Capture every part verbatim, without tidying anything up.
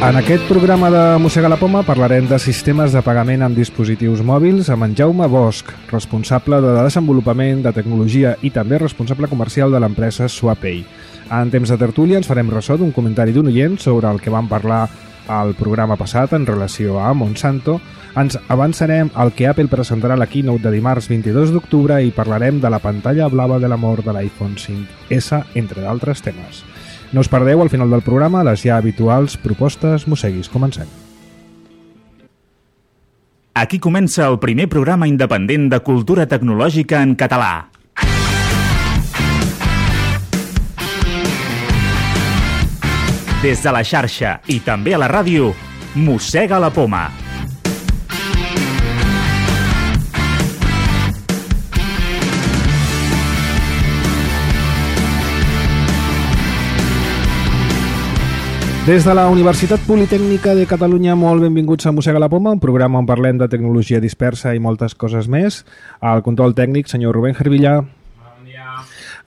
En aquest programa de Mossega la Poma parlarem de sistemes de pagament amb dispositius mòbils amb en Jaume Bosch, responsable de desenvolupament de tecnologia i també responsable comercial de l'empresa SwapPay. En temps de tertúlia ens farem ressò d'un comentari d'un oient sobre el que vam parlar al programa passat en relació a Monsanto. Ens avançarem al que Apple presentarà a la keynote de dimarts vint-i-dos d'octubre i parlarem de la pantalla blava de l'amor de l'iPhone cinc essa, entre d'altres temes. No us perdeu al final del programa les ja habituals propostes mosseguis. Comencem. Aquí comença el primer programa independent de cultura tecnològica en català. Des de la xarxa i també a la ràdio, Mossega la Poma. Des de la Universitat Politècnica de Catalunya, molt benvinguts a Mossega la Poma, un programa on parlem de tecnologia dispersa i moltes coses més. Al control tècnic, senyor Rubén Gervilla. Bon dia.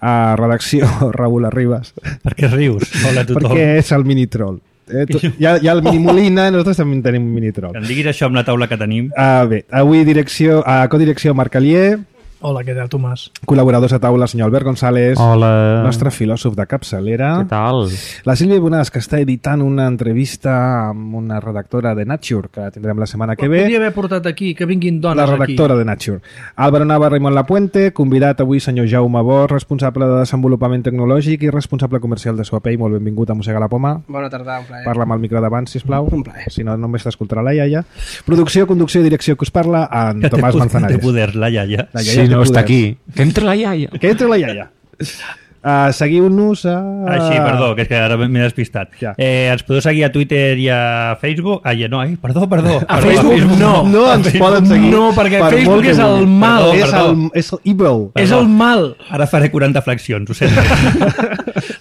A redacció, Raül Arribas. Per què rius? Hola a tothom. Perquè és el mini-troll. Eh, tu, hi, ha, hi ha el mini-molina, nosaltres també tenim un mini-troll. Que em diguis això amb la taula que tenim. Uh, bé, avui direcció, a codirecció Marc Alier. Hola, què tal, Tomàs? Col·laboradors a taula, senyor Albert González. Hola. Nostre filòsof de capçalera. Què tal? La Sílvia Bonàs, que està editant una entrevista amb una redactora de Nature, que tindrem la setmana que ve. Podria haver portat aquí, que vinguin dones aquí. La redactora aquí. de Nature. Álvaro Nava, Raimon Lapuente, convidat avui senyor Jaume Bosch, responsable de desenvolupament tecnològic i responsable comercial de SwapPay. Molt benvingut a Mossega la Poma. Bona tarda, un plaer. Parla amb el micro davant, sisplau. Un plaer. Si no, només t'escoltarà la iaia. Producció, conducció i direcció que us parla en que Tomàs Manzanares. Que té poder, la iaia. La iaia si no poder. està aquí. Que entre la iaia. Que entre la iaia. Uh, seguiu-nos a... Ah, sí, perdó, que és que ara m'he despistat. Ja. Eh, ens podeu seguir a Twitter i a Facebook? Ai, no, ai, perdó, perdó. A perdó, Facebook, a Facebook no. No ens Facebook. poden seguir. No, perquè per Facebook és el mal. Perdó, Perdó, és, perdó. el, és el evil. És Perdó. el mal. Ara faré quaranta flexions, ho sento.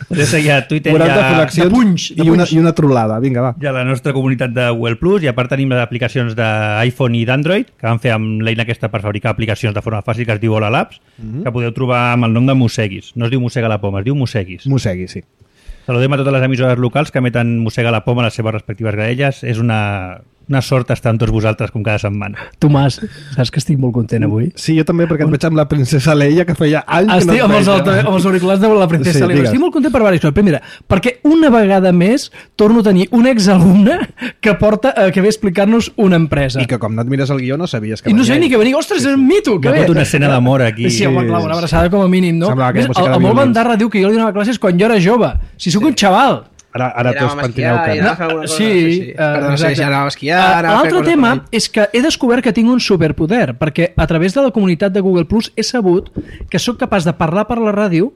Podeu seguir a Twitter quaranta i a... flexions de punys, de i, una, punys. i una trolada. Vinga, va. i a la nostra comunitat de Google Plus, i a part tenim les aplicacions d'iPhone i d'Android, que vam fer amb l'eina aquesta per fabricar aplicacions de forma fàcil, que es diu Hola Labs, Mhm. que podeu trobar amb el nom de Mosseguis. No es diu Mossega la Poma, es diu Mosseguis. Mossegui, sí. Saludem a totes les emissores locals que emeten Mossega la Poma a les seves respectives graelles. És una, una sort estar amb tots vosaltres com cada setmana. Tomàs, saps que estic molt content avui? Sí, jo també, perquè et veig amb la princesa Leia, que feia anys que Estic no amb et els, veia. alta, amb els auriculars de la princesa Sí, sí, Leia. digues. Estic molt content per diverses coses. Primera, perquè una vegada més torno a tenir un exalumne que porta eh, que ve a explicar-nos una empresa. I que com no et mires el guió no sabies que I no venia sé ni ell. que venia. Ostres, és un mito, que Hi ha bé. hagut una escena d'amor aquí. Sí, home, clar, una abraçada com a mínim, no? Semblava que Ves, era música el, de el molt violins. bandarra diu que jo li donava classes quan jo era jove. Si sóc un xaval. Ara, ara I tots anàvem a pentineu esquiar, i cara. anàvem a fer alguna cosa. Sí, sí, sí. eh, Perdó, no sé, exacte. ja anàvem a esquiar. Eh, anàvem a fer L'altre coses tema per ahí. és que he descobert que tinc un superpoder, perquè a través de la comunitat de Google Plus he sabut que sóc capaç de parlar per la ràdio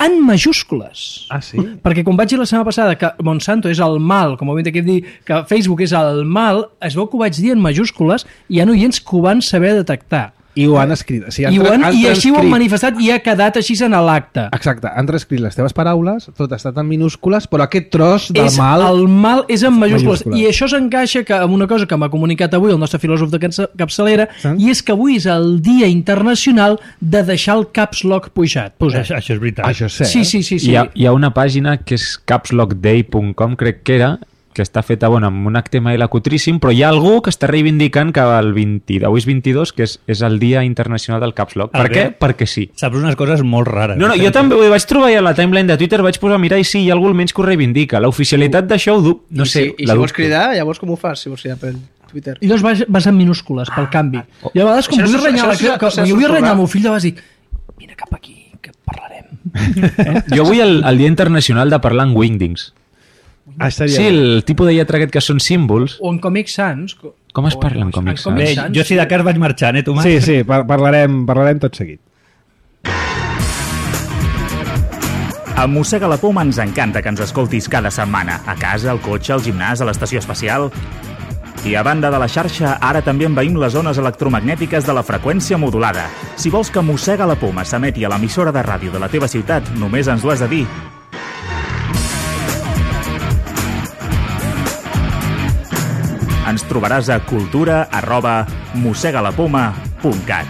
en majúscules. Ah, sí? Perquè quan vaig dir la setmana passada que Monsanto és el mal, com ho hem de dir, que Facebook és el mal, es veu que ho vaig dir en majúscules i hi ha oients que ho van saber detectar. I ho han escrit. O sigui, I, ho han, han I així ho han transcrit- manifestat i ha quedat així en l'acte. Exacte, han transcrit les teves paraules, tot ha estat en minúscules, però aquest tros del És, mal... el mal és en majúscules. Majúscules. I això s'encaixa que amb una cosa que m'ha comunicat avui el nostre filòsof de capça- capçalera, Sí. i és que avui és el dia internacional de deixar el caps lock pujat. Pues Posat. això, això és veritat. Això sé. Sí, sí, sí. sí. Hi ha, hi ha una pàgina que és capslockday punt com, crec que era, que està feta bueno, amb un H T M L cutríssim, però hi ha algú que està reivindicant que el vint, avui és vint-i-dos, que és, és el Dia Internacional del Caps Lock. Ah, Per bé. què? Perquè sí. Saps unes coses molt rares. No, no, jo també ho vaig trobar i a la timeline de Twitter vaig posar a mirar i sí, hi ha algú almenys que ho reivindica. L'oficialitat d'això ho dub, no I sé, si, i la si vols dubto. cridar, llavors com ho fas? Si vols cridar per Twitter. I llavors vas, vas en minúscules, pel canvi. I a vegades, com Això no vull és- renyar, això no és- que, això que, és jo vull un renyar el programa. meu fill, de vegades dic, vine cap aquí, que parlarem. Jo vull el, el Dia Internacional de parlar en Wingdings. Ah, estaria Sí, bé. el tipus de lletra aquest que són símbols. O en Comic Sans. co- Com es o parla en en Comic Sans? Comic Bé, Sans. jo si de cas vaig marxant, eh, Tomàs? Sí, sí, par parlarem, parlarem tot seguit. A Mossega la Poma ens encanta que ens escoltis cada setmana, a casa, al cotxe, al gimnàs, a l'estació espacial. I a banda de la xarxa, ara també envaïm les zones electromagnètiques de la freqüència modulada. Si vols que Mossega la Poma s'emeti a l'emissora de ràdio de la teva ciutat, només ens ho has de dir. Ens trobaràs a cultura arroba mossegalapoma punt cat.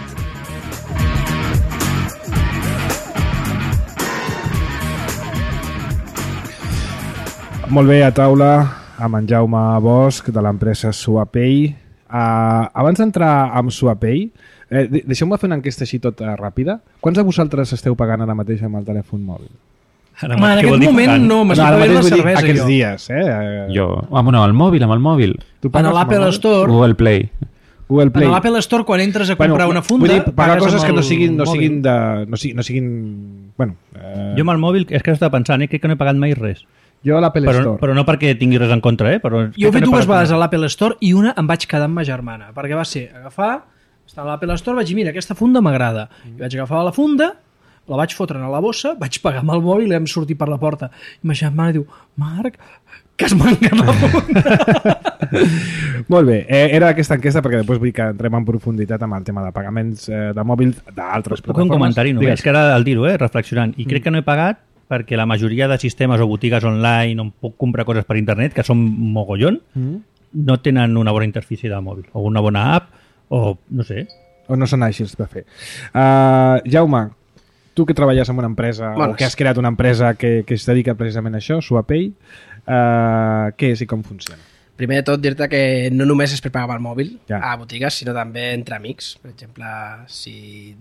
Molt bé, a taula, amb en Jaume Bosch de l'empresa SuaPay. Uh, abans d'entrar amb SuaPay, eh, deixeu-me fer una enquesta així tota ràpida. Quants de vosaltres esteu pagant ara mateix amb el telèfon mòbil? Ara, Home, en aquest moment pagant? no, m'estic no, pagant la cervesa. Aquests jo. dies, eh? Jo, amb, no, el mòbil, amb el mòbil. Tu en l'Apple Store... Google Play. Google Play. En l'Apple Store, quan entres a comprar bueno, una funda... Vull dir, pagar coses que no siguin, no mòbil. siguin de... No siguin, no siguin bueno, eh... Jo amb el mòbil, és que estava pensant, eh, crec que no he pagat mai res. Jo a l'Apple però, Store. Però no perquè tingui res en contra, eh? Però jo he fet no dues vegades res. a l'Apple Store i una em vaig quedar amb ma germana, perquè va ser agafar, estar a l'Apple Store, vaig dir, mira, aquesta funda m'agrada. I vaig agafar la funda, la vaig fotre a la bossa, vaig pagar amb el mòbil i vam sortir per la porta. I ma germana diu, Marc, que es manca la funda. Molt bé, eh, era aquesta enquesta perquè després vull que entrem en profunditat amb el tema de pagaments eh, de mòbil d'altres plataformes. plataformes. Un comentari només, que ara al dir-ho, eh, reflexionant, i crec Mm. que no he pagat perquè la majoria de sistemes o botigues online on puc comprar coses per internet, que són mogollon, Mm. no tenen una bona interfície de mòbil, o una bona app, o no sé. O no són àgils de fer. Uh, Jaume, tu que treballes en una empresa, Bones. o que has creat una empresa que, que es dedica precisament a això, SuaPay, uh, què és i com funciona? Primer de tot, dir-te que no només és per pagar amb el mòbil Ja. a botigues, sinó també entre amics. Per exemple, si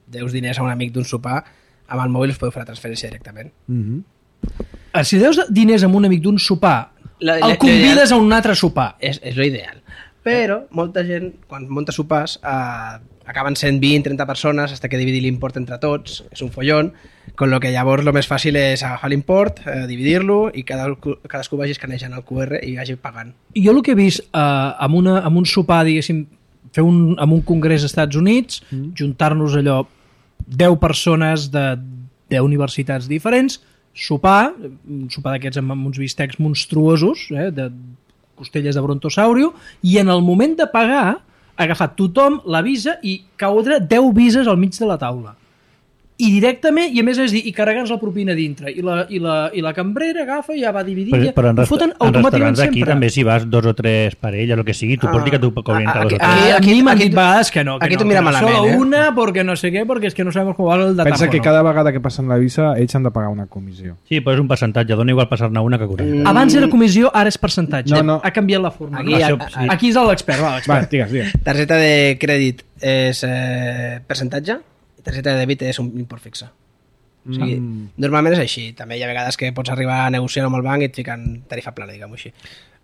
deus diners a un amic d'un sopar, amb el mòbil us podeu fer la transferència directament. Mm -hmm. Si deus diners amb un amic d'un sopar, La- el la- convides a un altre sopar. És, és l'ideal. Però molta gent, quan munta sopars, eh, acaben sent vint trenta persones, hasta que dividir l'import entre tots, és un follón, con lo que llavors lo més fàcil és agafar l'import, eh, dividir-lo i cada, cadascú vagi escanejant el Q R i vagi pagant. Jo el que he vist eh, amb, una, amb un sopar, diguéssim, fer un, amb un congrés als Estats Units, mm. juntar-nos allò deu persones de deu universitats diferents, sopar, un sopar d'aquests amb, amb uns bistecs monstruosos, eh, de costelles de brontosaurio, i en el moment de pagar, agafar tothom la visa i caudre deu vises al mig de la taula. I directament, i a més és dir, i carregant la propina dintre, i la, i la, i la cambrera agafa i ja va dividir, Però, però en, ho resta foten en automàticament restaurants aquí sempre. també si vas dos o tres parelles, el que sigui, tu Ah. pots dir que tu cobrin entre dos o Aquí- tres. Aquí, Aquí- aquí m'han aquí dit tu- vegades que no, que aquí no, tu mira que no. malament, Solo eh? una, perquè no sé què, perquè és que no sabem com va el datáfono. Pensa que cada vegada que passen la visa ells han de pagar una comissió. Sí, però és un percentatge, dona igual passar-ne una que quaranta. Mm. Abans era comissió, ara és percentatge. No, no. Ha canviat la forma. Aquí, no? a- Això, sí. Aquí és l'expert, va, Va, l'expert. digues, digues. Targeta de crèdit és eh, percentatge i targeta de dèbit és un import fixe. O sigui, Mm. normalment és així. També hi ha vegades que pots arribar a negociar amb el banc i et fiquen tarifa plana, diguem-ho així.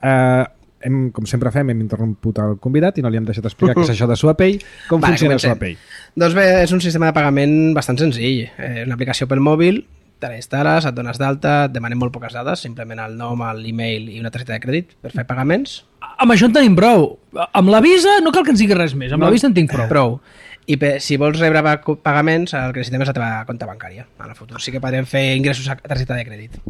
Uh, hem, com sempre fem, hem interromput el convidat i no li hem deixat explicar què és això de SuaPay. Com Vale, funciona comencem. SuaPay? Doncs bé, és un sistema de pagament bastant senzill. És una aplicació pel mòbil, te la instal·les, et dones d'alta, et demanem molt poques dades, simplement el nom, l'email i una targeta de crèdit per fer pagaments. Amb això en tenim prou. Amb la visa no cal que ens digui res més. Amb No. la visa en tinc prou. Prou. I per, si vols rebre pa- pagaments, el que necessitem és la teva compte bancària. En el futur sí que podrem fer ingressos a targeta de crèdit.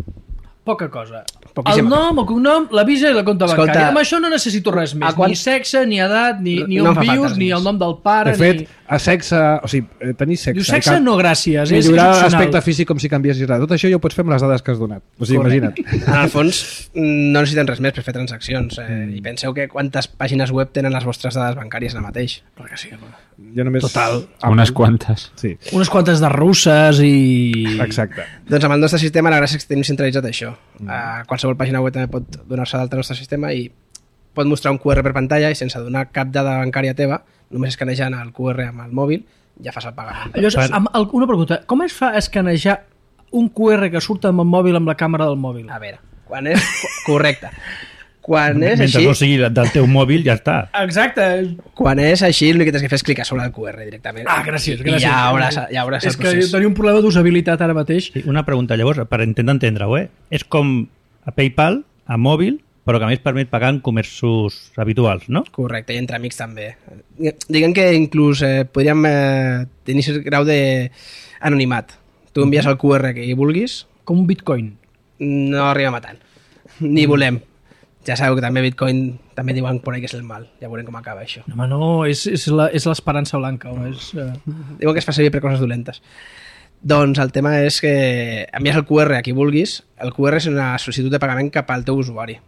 Poca cosa. Poquíssima. El nom, el cognom, la visa i la compte Escolta, bancària. Amb això no necessito res més. a quan- Ni sexe, ni edat, ni, ni No on em fa falta vius, res ni més. el nom del pare, De fet, ni... a sexe, o sigui, eh, tenir sexe... Diu i sexe cap- no, gràcies. És, és Millorar opcional. l'aspecte físic com si canviessis res. Tot això ja ho pots fer amb les dades que has donat. O sigui, imagina't. En el fons, mm, no necessiten res més per fer transaccions. Eh? Mm. I penseu que quantes pàgines web tenen les vostres dades bancàries ara mateix. Perquè sí, home. Jo només... Total. Unes quantes. Sí, Unes quantes de russes i... exacte. Doncs amb el nostre sistema la gràcia és que tenim centralitzat això. Mm. Uh, qualsevol pàgina web també pot donar-se d'alta al nostre sistema i pot mostrar un Q R per pantalla i sense donar cap dada bancària teva, només escanejant el Q R amb el mòbil, ja fas el pagament. Llavors, Per- amb el, una pregunta. Com es fa escanejar un Q R que surt amb el mòbil amb la càmera del mòbil? A veure, quan és... Correcte. Quan és Mentre així, no sigui del teu mòbil, ja està. Exacte. quan és així, l'únic que tens que fer és clicar sobre el Q R directament. Ah, gràcies, gràcies. I ja hauràs, ja hauràs És el que procés. tenia un problema d'usabilitat ara mateix. Sí, una pregunta, llavors, per intentar entendre-ho, eh? És com a PayPal, a mòbil, però que a més permet pagar en comerços habituals, no? Correcte, i entre amics també. Diguem que inclús eh, podríem eh, tenir cert grau d'anonimat. Tu envies el Q R que hi vulguis, Com un bitcoin. no arribem a tant. Ni volem. Ja sabeu que també Bitcoin també diuen por ahí que és el mal. Ja veurem com acaba això. No, home, no, és, és la- és l'esperança blanca. No? És, uh... Diuen que es fa servir per coses dolentes. Doncs el tema és que envies el Q R a qui vulguis. El Q R és una sol·licitud de pagament cap al teu usuari.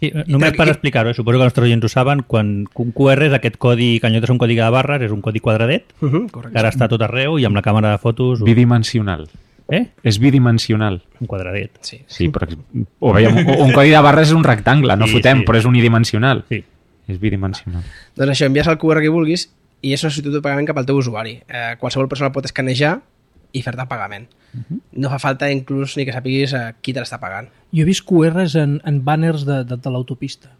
Sí, només I- per i- explicar-ho, eh? Suposo que els nostres oients ho saben, quan un Q R és aquest codi, que en lloc de ser un codi de barres, és un codi quadradet, Uh -huh, que correcte. ara està a tot arreu i amb la càmera de fotos... ho- Bidimensional. Eh? És bidimensional. Un quadradet. Sí. Sí, però o veiem, un codi de barres és un rectangle, no Sí, fotem, sí. però és unidimensional. Sí. És bidimensional. Doncs això, envies el Q R que vulguis i és una sol·licitud de pagament cap al teu usuari. Eh, qualsevol persona pot escanejar i fer-te pagament. Uh-huh. No fa falta inclús ni que sapiguis eh, qui te l'està pagant. Jo he vist Q Rs en, en banners de, de, de l'autopista.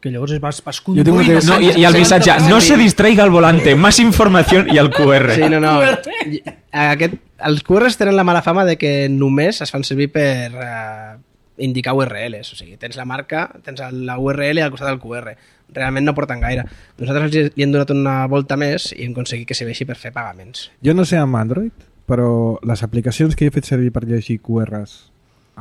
Que llavors vas, vas Jo tinc un conduint... temps- No, i, i el missatge, no se distraiga al volante, más información i el Q R. Sí, no, no. Aquest, els Q Rs tenen la mala fama de que només es fan servir per eh, indicar U R Ls. O sigui, tens la marca, tens la U R L al costat del Q R. Realment no porten gaire. Nosaltres li li hem donat una volta més i hem aconseguit que serveixi per fer pagaments. Jo no sé amb Android, però les aplicacions que he fet servir per llegir Q Rs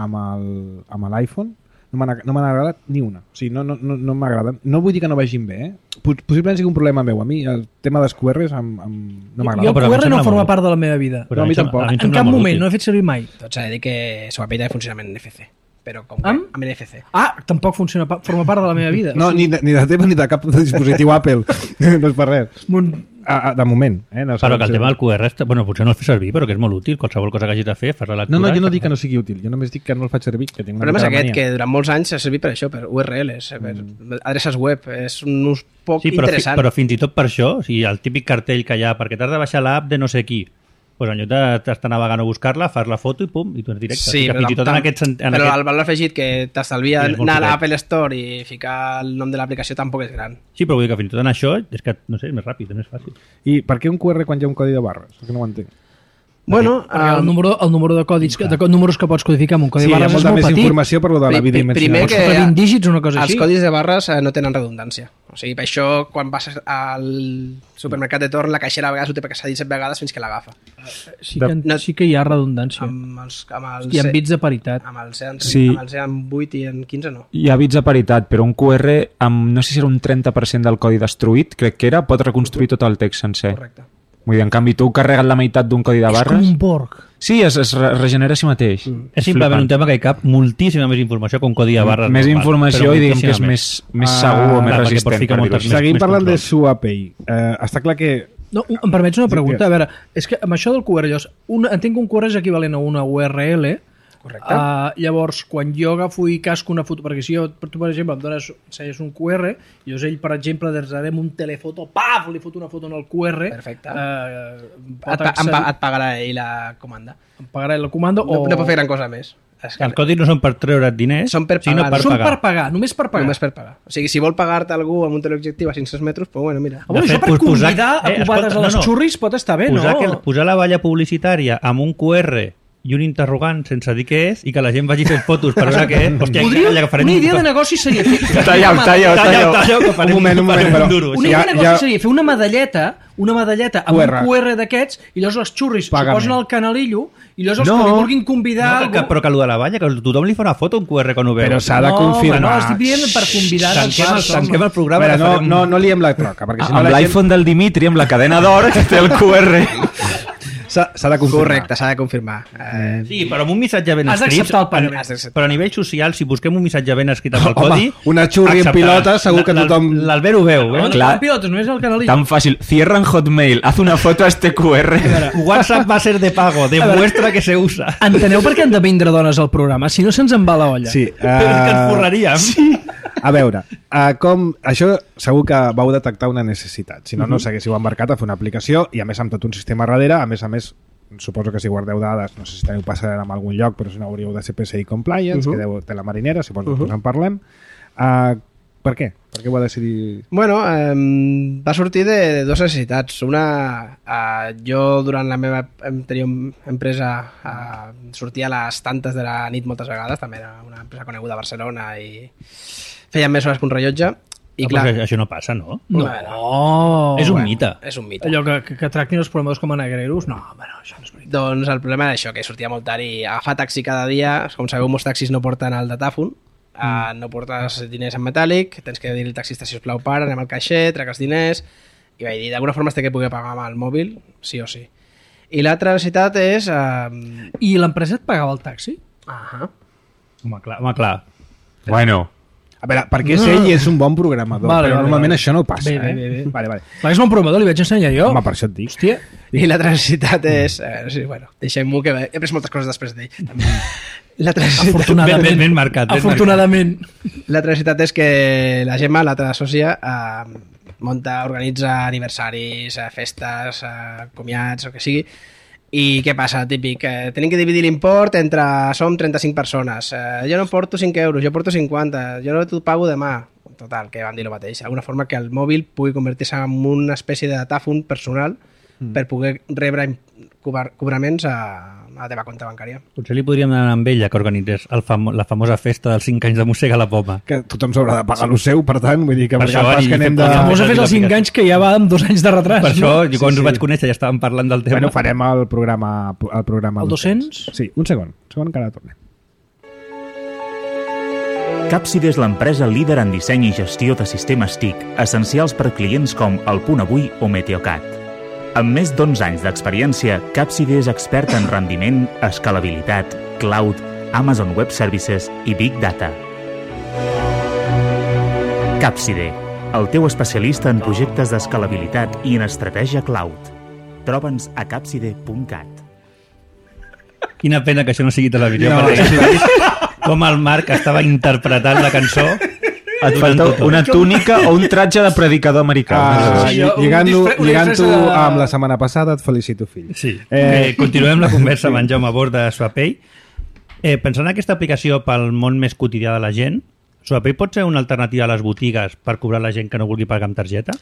amb el- amb l'iPhone no m'han no m'han agradat ni una. O sigui, no, no, no, no m'agraden. No vull dir que no vagin bé, eh? Pos- Possiblement sigui un problema meu. A mi el tema dels Q Rs amb, amb... no Jo m'agrada. el però a mi Q R em no sembla forma molt- part de la meva vida. No, a mi em sembla- tampoc. a mi em En sembla cap molt moment, útil. no he fet servir mai. Tot s'ha de dir que Swapay també funciona amb N F C. Però com que Amb? amb N F C. Ah, tampoc funciona, pa- forma part de la meva vida. No, ni de, ni de teva ni de cap dispositiu Apple. No és per res. Mon... A, a, de moment. Eh? No Però sabem que el si- tema del Q R, està- bueno, potser no el fes servir, però que és molt útil. Qualsevol cosa que hagis de fer, fas la lectura... No, no, jo no i- dic que no sigui útil. Jo només dic que no el faig servir. Que tinc El una problema és mica de aquest, mania. que durant molts anys s'ha servit per això, per U R Ls, per adreces web. És un ús poc Sí, però, fi, interessant. però fins i tot per això, o sigui, el típic cartell que hi ha, perquè t'has de baixar l'app de no sé qui, doncs en lloc d'estar navegant a buscar-la, fas la foto i pum, i tu ets directe. Sí, O sigui que però, fins i tot en tam- aquest... sent- En però aquest... el valor afegit que t'estalvia Sí, és molt anar a poquet. l'Apple Store i ficar el nom de l'aplicació tampoc és gran. Sí, però vull dir que fins i tot en això, és que, no sé, és més ràpid, és més fàcil. I per què un Q R quan hi ha un codi de barres? És que no ho entenc. Bueno, Perquè el um, número, el número de codis, que, de co- números que pots codificar amb un codi Sí, hi de ha barres és molta molt més petit. informació per lo de la pri- pri- bidimensional. primer que Pots fer vint dígits o una cosa els així. codis de barres eh, no tenen redundància. O sigui, per això, quan vas al supermercat de torn, la caixera a vegades ho té perquè s'ha dit set vegades fins que l'agafa. Sí que, No- sí que hi ha redundància. Amb els, amb els, I amb bits de paritat. amb els, amb, Sí. amb els en vuit i en quinze no. Hi ha bits de paritat, però un Q R amb, no sé si era un trenta per cent del codi destruït, crec que era, pot reconstruir tot el text sencer. Correcte. Vull dir, en canvi, tu carregues la meitat d'un codi de És com barres... un Borg. Sí, es, es re- regenera a si mateix. Mm. És simplement un tema que hi cap moltíssima més informació que un codi de barres. Més normal, informació però i diguem que és moltíssima més, més Ah, segur o més clar, perquè pots resistent. ficar Per moltes dir-ho així. Seguim més parlant de control. SuaPay. Eh, està clar que... No, em permets una pregunta? Sí, A veure, és que amb això del Q R, llavors, un, entenc que un Q R és equivalent a una U R L. Correcte. Uh, llavors, quan jo agafo i casco una foto, perquè si jo, tu, per exemple, em dones, ensenyes un Q R, i llavors ell, per exemple, des d'ara amb un telefoto, paf, li foto una foto en el Q R, Perfecte. Uh, Et, pa, em, pa, et pagarà ell la comanda. em pagarà la comanda No, o... no pot fer gran cosa més. És que Els codis no són per treure't diners, Són per sinó pagar. per Són pagar. per pagar, només per pagar. només per pagar. O sigui, si vol pagar-te algú amb un teleobjectiu a cinc-cents metres, doncs bueno, mira. Ah, bueno, De això fet, per posar- convidar a eh, cubades escolta, a les no, no. xurris pot estar bé, posar, no? que, posar la valla publicitària amb un Q R i un interrogant sense dir què és i que la gent vagi fent fotos per veure què és. Hòstia, Podria, que farem una idea un- de negoci seria fer, Talla-ho, talla-ho, Talla, talla-ho. talla, que farem Un moment, un moment, farem però- duro. una Ja- idea de negoci ja- seria fer una medalleta una medalleta amb Q R. un Q R d'aquests i llavors els xurris s'ho Pagament. posen al canalillo i llavors els No. que li vulguin convidar No, que, però que allò de la valla, que tothom li fa una foto a un Q R quan ho veu. Però s'ha de no, confirmar. No, estic dient per convidar Tanquem el, tanquem el programa. Veure, que no, farem- no, no liem la troca, perquè si no Amb la gent l'iPhone del Dimitri, amb la cadena d'or, que té el Q R. s'ha s'ha de confirmar. Correcte, s'ha de confirmar. Eh, Sí, però amb un missatge ben Has escrit... d'acceptar el pagament. Has d'acceptar. Però a nivell social, si busquem un missatge ben escrit amb el Home, codi... una xurri en acceptaràs. pilota, segur que L'Al- tothom- L'Albert ho veu, No, eh? no Clar. són pilotes, només el canalillo. Tan fàcil. Cierra en Hotmail, haz una foto a este Q R. WhatsApp va a ser de pago, demuestra que se usa. Enteneu per què han de vindre dones al programa? Si no se'ns en va la olla. Sí, Però és que ens eh, forraríem. Sí. a veure, uh, com, això segur que vau detectar una necessitat, si no, no s'haguéssiu embarcat a fer una aplicació i a més amb tot un sistema darrere, a més a més suposo que si guardeu dades, no sé si teniu passarel en algun lloc, però si no hauríeu de ser P C I compliance, uh -huh. que deu té la marinera, suposo que uh -huh. en parlem. Uh, per què? Per què ho va decidir? Bueno, eh, va sortir de dues necessitats. Una, eh, jo durant la meva anterior empresa eh, sortia a les tantes de la nit moltes vegades, també era una empresa coneguda a Barcelona i feien més hores que un rellotge. I I clar, clar, això no passa, no? No. Bueno, és un bueno, mite. És un mite. Allò que, que, que tractin els programadors com a negreros, no, bueno, això no és veritat. Doncs el problema era això, que sortia molt tard i agafar taxi cada dia, com sabeu, molts taxis no porten el datàfon, mm. uh, no portes diners en metàl·lic, tens que dir al taxista, si us plau, para, anem al caixer, trec els diners, i vaig dir, d'alguna forma has de que pugui pagar amb el mòbil, sí o sí. I l'altra necessitat és... Uh... I l'empresa et pagava el taxi? Uh -huh. Home, clar. Home, clar. Bueno, A veure, perquè és ell i és un bon programador, Vale, però vale, normalment vale. això no passa. Bé, bé, eh? bé, bé. Vale, vale. Clar, és un programador, li vaig ensenyar jo. Home, per això et dic. Hòstia. I l'altra necessitat és... Eh, sí, bueno, deixem-ho que... He pres moltes coses després d'ell. L'altra necessitat, Afortunadament. Ben- ben marcat, ben Afortunadament. l'altra necessitat és que la Gemma, l'altra sòcia, eh, munta, organitza aniversaris, eh, festes, eh, comiats, o que sigui. I què passa? Típic, eh, tenim que dividir l'import entre... Som trenta-cinc persones. Eh, jo no porto cinc euros, jo porto cinquanta. Jo no t'ho pago demà. Total, que van dir el mateix. D'alguna forma que el mòbil pugui convertir-se en una espècie de datàfon personal mm. per poder rebre cobrar, cobraments a, a la teva compte bancària. Potser li podríem demanar amb ella que organitzés el famo la famosa festa dels cinc anys de Mossega la Poma. Que tothom s'haurà de pagar el seu, per tant, vull dir que Per per això, pas i que anem fer de... posar- Famosa fes els cinc anys que ja va amb dos anys de retras. Per això, no? jo quan Sí, us sí. vaig conèixer ja estàvem parlant del tema. Bueno, farem el programa... El, programa El dos-cents? Sí, un segon. Un segon que ara tornem. Capsid és l'empresa líder en disseny i gestió de sistemes T I C, essencials per clients com El Punt Avui o Meteocat. Amb més d'onze anys d'experiència, Capsid és expert en rendiment, escalabilitat, cloud, Amazon Web Services i Big Data. Capside, el teu especialista en projectes d'escalabilitat i en estratègia cloud. Troba'ns a capside punt cat. Quina pena que això no sigui televisió, No, no, perquè hagués vist com el Marc estava interpretant la cançó. Et falta una túnica o un tratge de predicador americà. Ah, sí, jo- un Lligant-ho disfre- una lligant disfressa de- amb la setmana passada, et felicito, fill. Sí. Eh, Eh, continuem la conversa amb en Jaume Bord de Swapay. Eh, pensant en aquesta aplicació pel món més quotidià de la gent, Swapay pot ser una alternativa a les botigues per cobrar la gent que no vulgui pagar amb targeta?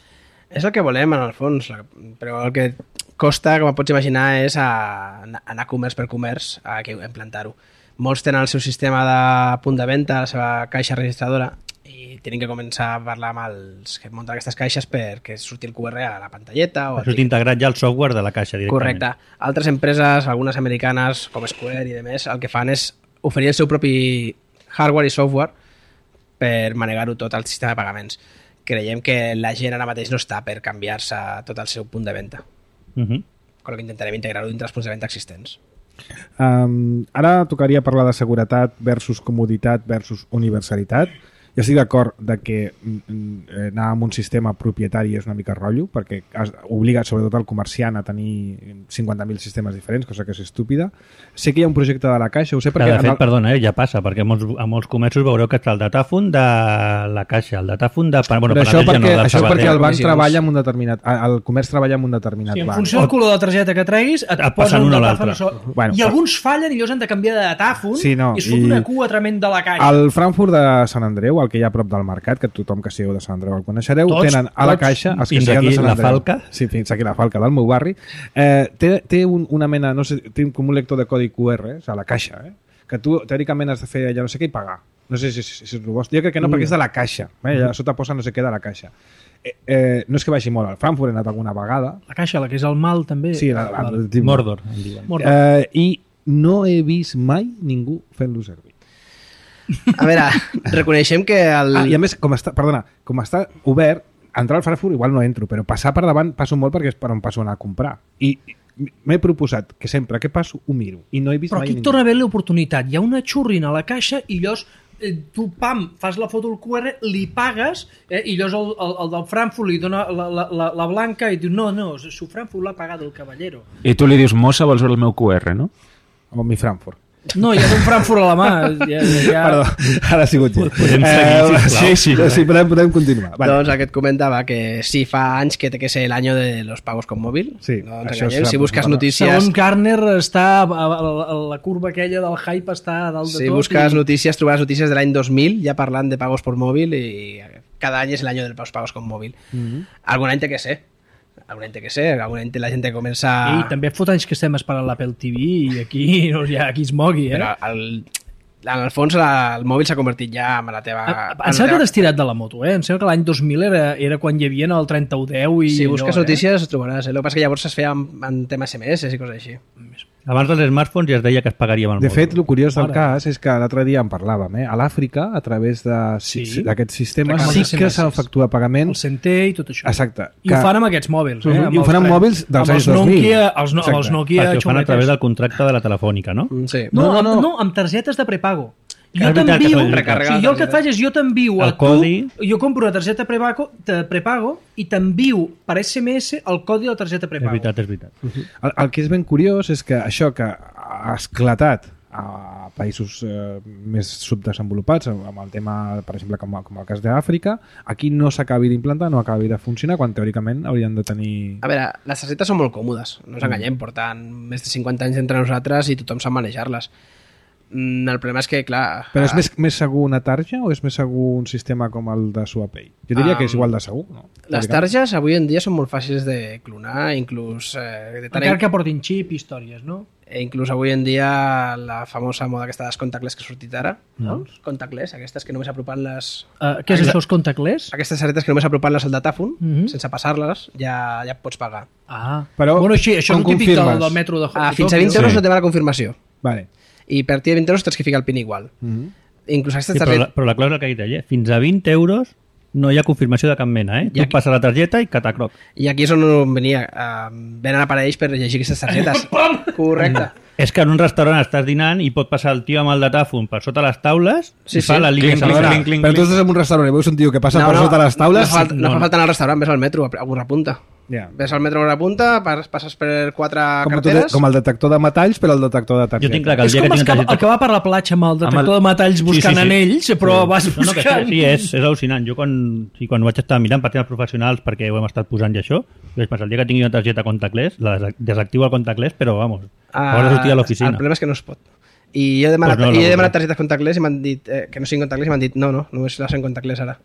És el que volem, en el fons, la- però el que costa, com pots imaginar, és a, anar comerç per comerç a que implantar-ho. Molts tenen el seu sistema de punt de venda, la seva caixa registradora, i tenen que començar a parlar amb els que munten aquestes caixes perquè surti el Q R a la pantalleta. O Això t'ha integrat ja el software de la caixa directament. Correcte. Altres empreses, algunes americanes, com Square i demés, el que fan és oferir el seu propi hardware i software per manegar-ho tot al sistema de pagaments. Creiem que la gent ara mateix no està per canviar-se tot el seu punt de venda. Uh -huh. Con el que intentarem integrar-ho dintre els punts de venda existents. Um, ara tocaria parlar de seguretat versus comoditat versus universalitat. Jo estic d'acord de que mm, anar amb un sistema propietari és una mica rotllo, perquè has, obliga sobretot el comerciant a tenir cinquanta mil sistemes diferents, cosa que és estúpida. Sé que hi ha un projecte de la Caixa, ho sé Que, perquè... de fet, en el... perdona, eh, ja passa, perquè a molts, a molts comerços veureu que està el datàfon de la caixa, el datàfon de... Bueno, Però això, Penedès ja perquè, no, del això és perquè Sabadell. el banc comissions. treballa amb un determinat... El comerç treballa amb un determinat Sí, en banc. funció del color de la targeta que treguis, et, Et et passen posen un un o datàfon. l'altre. So... Bueno, I alguns fallen i llavors han de canviar de datàfon Sí, no, i es fot i- una cua tremenda de la caixa. Al Frankfurt de Sant Andreu, el que hi ha a prop del mercat, que tothom que sigueu de Sant Andreu el coneixereu, Tots, tenen a la tots. caixa, els que Fins sigueu de aquí Sant la Andreu. Falca. Sí, fins aquí la Falca del meu barri. Eh, té té un, una mena, no sé, té com un lector de codi Q R, eh, a la caixa, eh, que tu teòricament has de fer allà no sé què i pagar. No sé si, si, si, si és el vostre. Jo crec que no, perquè és de la caixa. Eh? Allà a sota posa no sé què de la caixa. Eh, eh, no és que vagi molt al Frankfurt, he anat alguna vegada. La caixa, la que és el mal, també. Sí, la, la, la, la, Mordor, en diuen. Mordor. Eh, I no he vist mai ningú fent-lo servir. A veure, reconeixem que el... Ah, i a més, com està, perdona, com està obert, entrar al Frankfurt igual no entro, però passar per davant passo molt perquè és per on passo a anar a comprar. I m'he proposat que sempre que passo ho miro i no he vist Però mai aquí et torna a haver l'oportunitat. Hi ha una xurrina a la caixa i llavors eh, tu, pam, fas la foto al Q R, li pagues eh, i llavors el, el, el del Frankfurt li dona la, la, la, la blanca i diu no, no, su Frankfurt l'ha pagat el caballero. I tu li dius, mossa, vols veure el meu Q R, no? O mi Frankfurt. No, hi ha un Frankfurt a la mà. Ja, ja, ja... Perdó, ara ha sigut jo. Podem seguir, sisplau. sí, sí, sí, podem, podem continuar. Vale. Doncs aquest comentava que sí, fa anys que té que ser l'any de los pagos con móvil. Sí, no ens això enganyem. s'ha- Si busques bueno, notícies... Segons Garner està a, a, a la curva aquella del hype està a dalt de Si tot. busques i... notícies, trobaràs notícies de l'any dos mil ja parlant de pagos por móvil i cada any és l'any de los pagos con móvil. Mm -hmm. Algun any té que ser. Algun any té que ser. Algun any té la gent que comença... I també fot anys que estem esperant l'Apple T V i aquí no hi ha qui es mogui, eh? Però el, en el fons la, el mòbil s'ha convertit ja en la teva... A- en Em sembla que la t'has tirat de la moto, eh? Em sembla que l'any dos mil era, era quan hi havia el trenta u deu i... Si busques allò, notícies, ho trobaràs. Eh? El que passa és que llavors es feia en, en tema S M S i coses així. Abans dels smartphones ja es deia que es pagaria amb el De mòbil. fet, el curiós del Ara. cas és que l'altre dia en parlàvem, eh? A l'Àfrica, a través de- Sí. d'aquests sistemes, Reclamen sí S M que S. s'efectua El pagament. Center i tot això. Exacte. I ho fan amb aquests mòbils, eh? I ho fan amb els- mòbils dels amb anys els dos mil. Nokia, els, no, Exacte. els Nokia Perquè ho fan a xuletes. través del contracte de la telefònica, no? Mm, Sí. No, No, no, no, no. no, amb targetes de prepago. Jo És veritat que t'envio, són recarregar sí, la jo el que et targeta. faig és jo t'envio a El tu, codi. jo compro una targeta prepago, de prepago i t'envio per S M S el codi de la targeta És prepago. veritat, és veritat. El, el que és ben curiós és que això que ha esclatat a països eh, més subdesenvolupats, amb el tema, per exemple, com, com el cas d'Àfrica, aquí no s'acabi d'implantar, no acabi de funcionar, quan teòricament haurien de tenir... A veure, les targetes són molt còmodes, no ens enganyem, porten més de cinquanta anys entre nosaltres i tothom sap manejar-les. Mm, El problema és que, clar... Però és ah, més, més segur una tarja o és més segur un sistema com el de SuaPay? Jo diria Um, que és igual de segur, no? Les targes avui en dia són molt fàcils de clonar, inclús... Eh, de tant Encara en... que portin xip i històries, no? E inclús avui en dia la famosa moda aquesta dels contactless que ha sortit ara, no? Contactless, aquestes que només apropen les... Uh, què és això, els contactless? Aquestes targetes que només apropen-les al datàfon, Mhm. sense passar-les, ja, ja pots pagar. Ah, Però bueno, així, això és com el típic del, confirmes? del metro de Ah, de fins a vint Tòquio. euros Sí. no te va la confirmació. Vale. I a partir de vint euros tens que ficar el PIN igual. Mm-hmm. Inclús aquestes Sí, però, la, targetes... però la clàusula que ha dit ella, fins a vint euros no hi ha confirmació de cap mena, eh? I Tu aquí- passes la targeta i catacroc. I aquí és on venia. Uh, venen aparells per llegir aquestes targetes. Correcte. És que en un restaurant estàs dinant i pot passar el tio amb el datàfon per sota les taules Sí, i fa sí. la línia Clinc, sencera. clinc, clinc, Però tu clinc. estàs en un restaurant i veus un tio que passa per sota les taules... No fa, falta, no, no, fa no. falta anar al restaurant, ves al metro, a Burra Punta. Ja. Ves al metro a Burra Punta, pas- passes per quatre Com, tu, carteres... com el detector de metalls, però el detector de targeta. Jo tinc clar que el És dia com que el tinc que, targeta... el que va per la platja amb el detector Amb el- de metalls buscant Sí, sí, sí. anells, però vas No, no, que buscant... sí, és, és al·lucinant. Jo quan, sí, quan vaig estar mirant per temes professionals, perquè ho hem estat posant i això, vaig pensar, el dia que tingui una targeta contactless, la des- desactivo el contactless, però vamos, Ah, haurà de sortir a l'oficina. El problema és que no es pot. I jo he demanat, Pues no, i he la demanat cosa. targetes contactless i m'han dit eh, que no siguin contactless i m'han dit no, no, només les en contactless ara.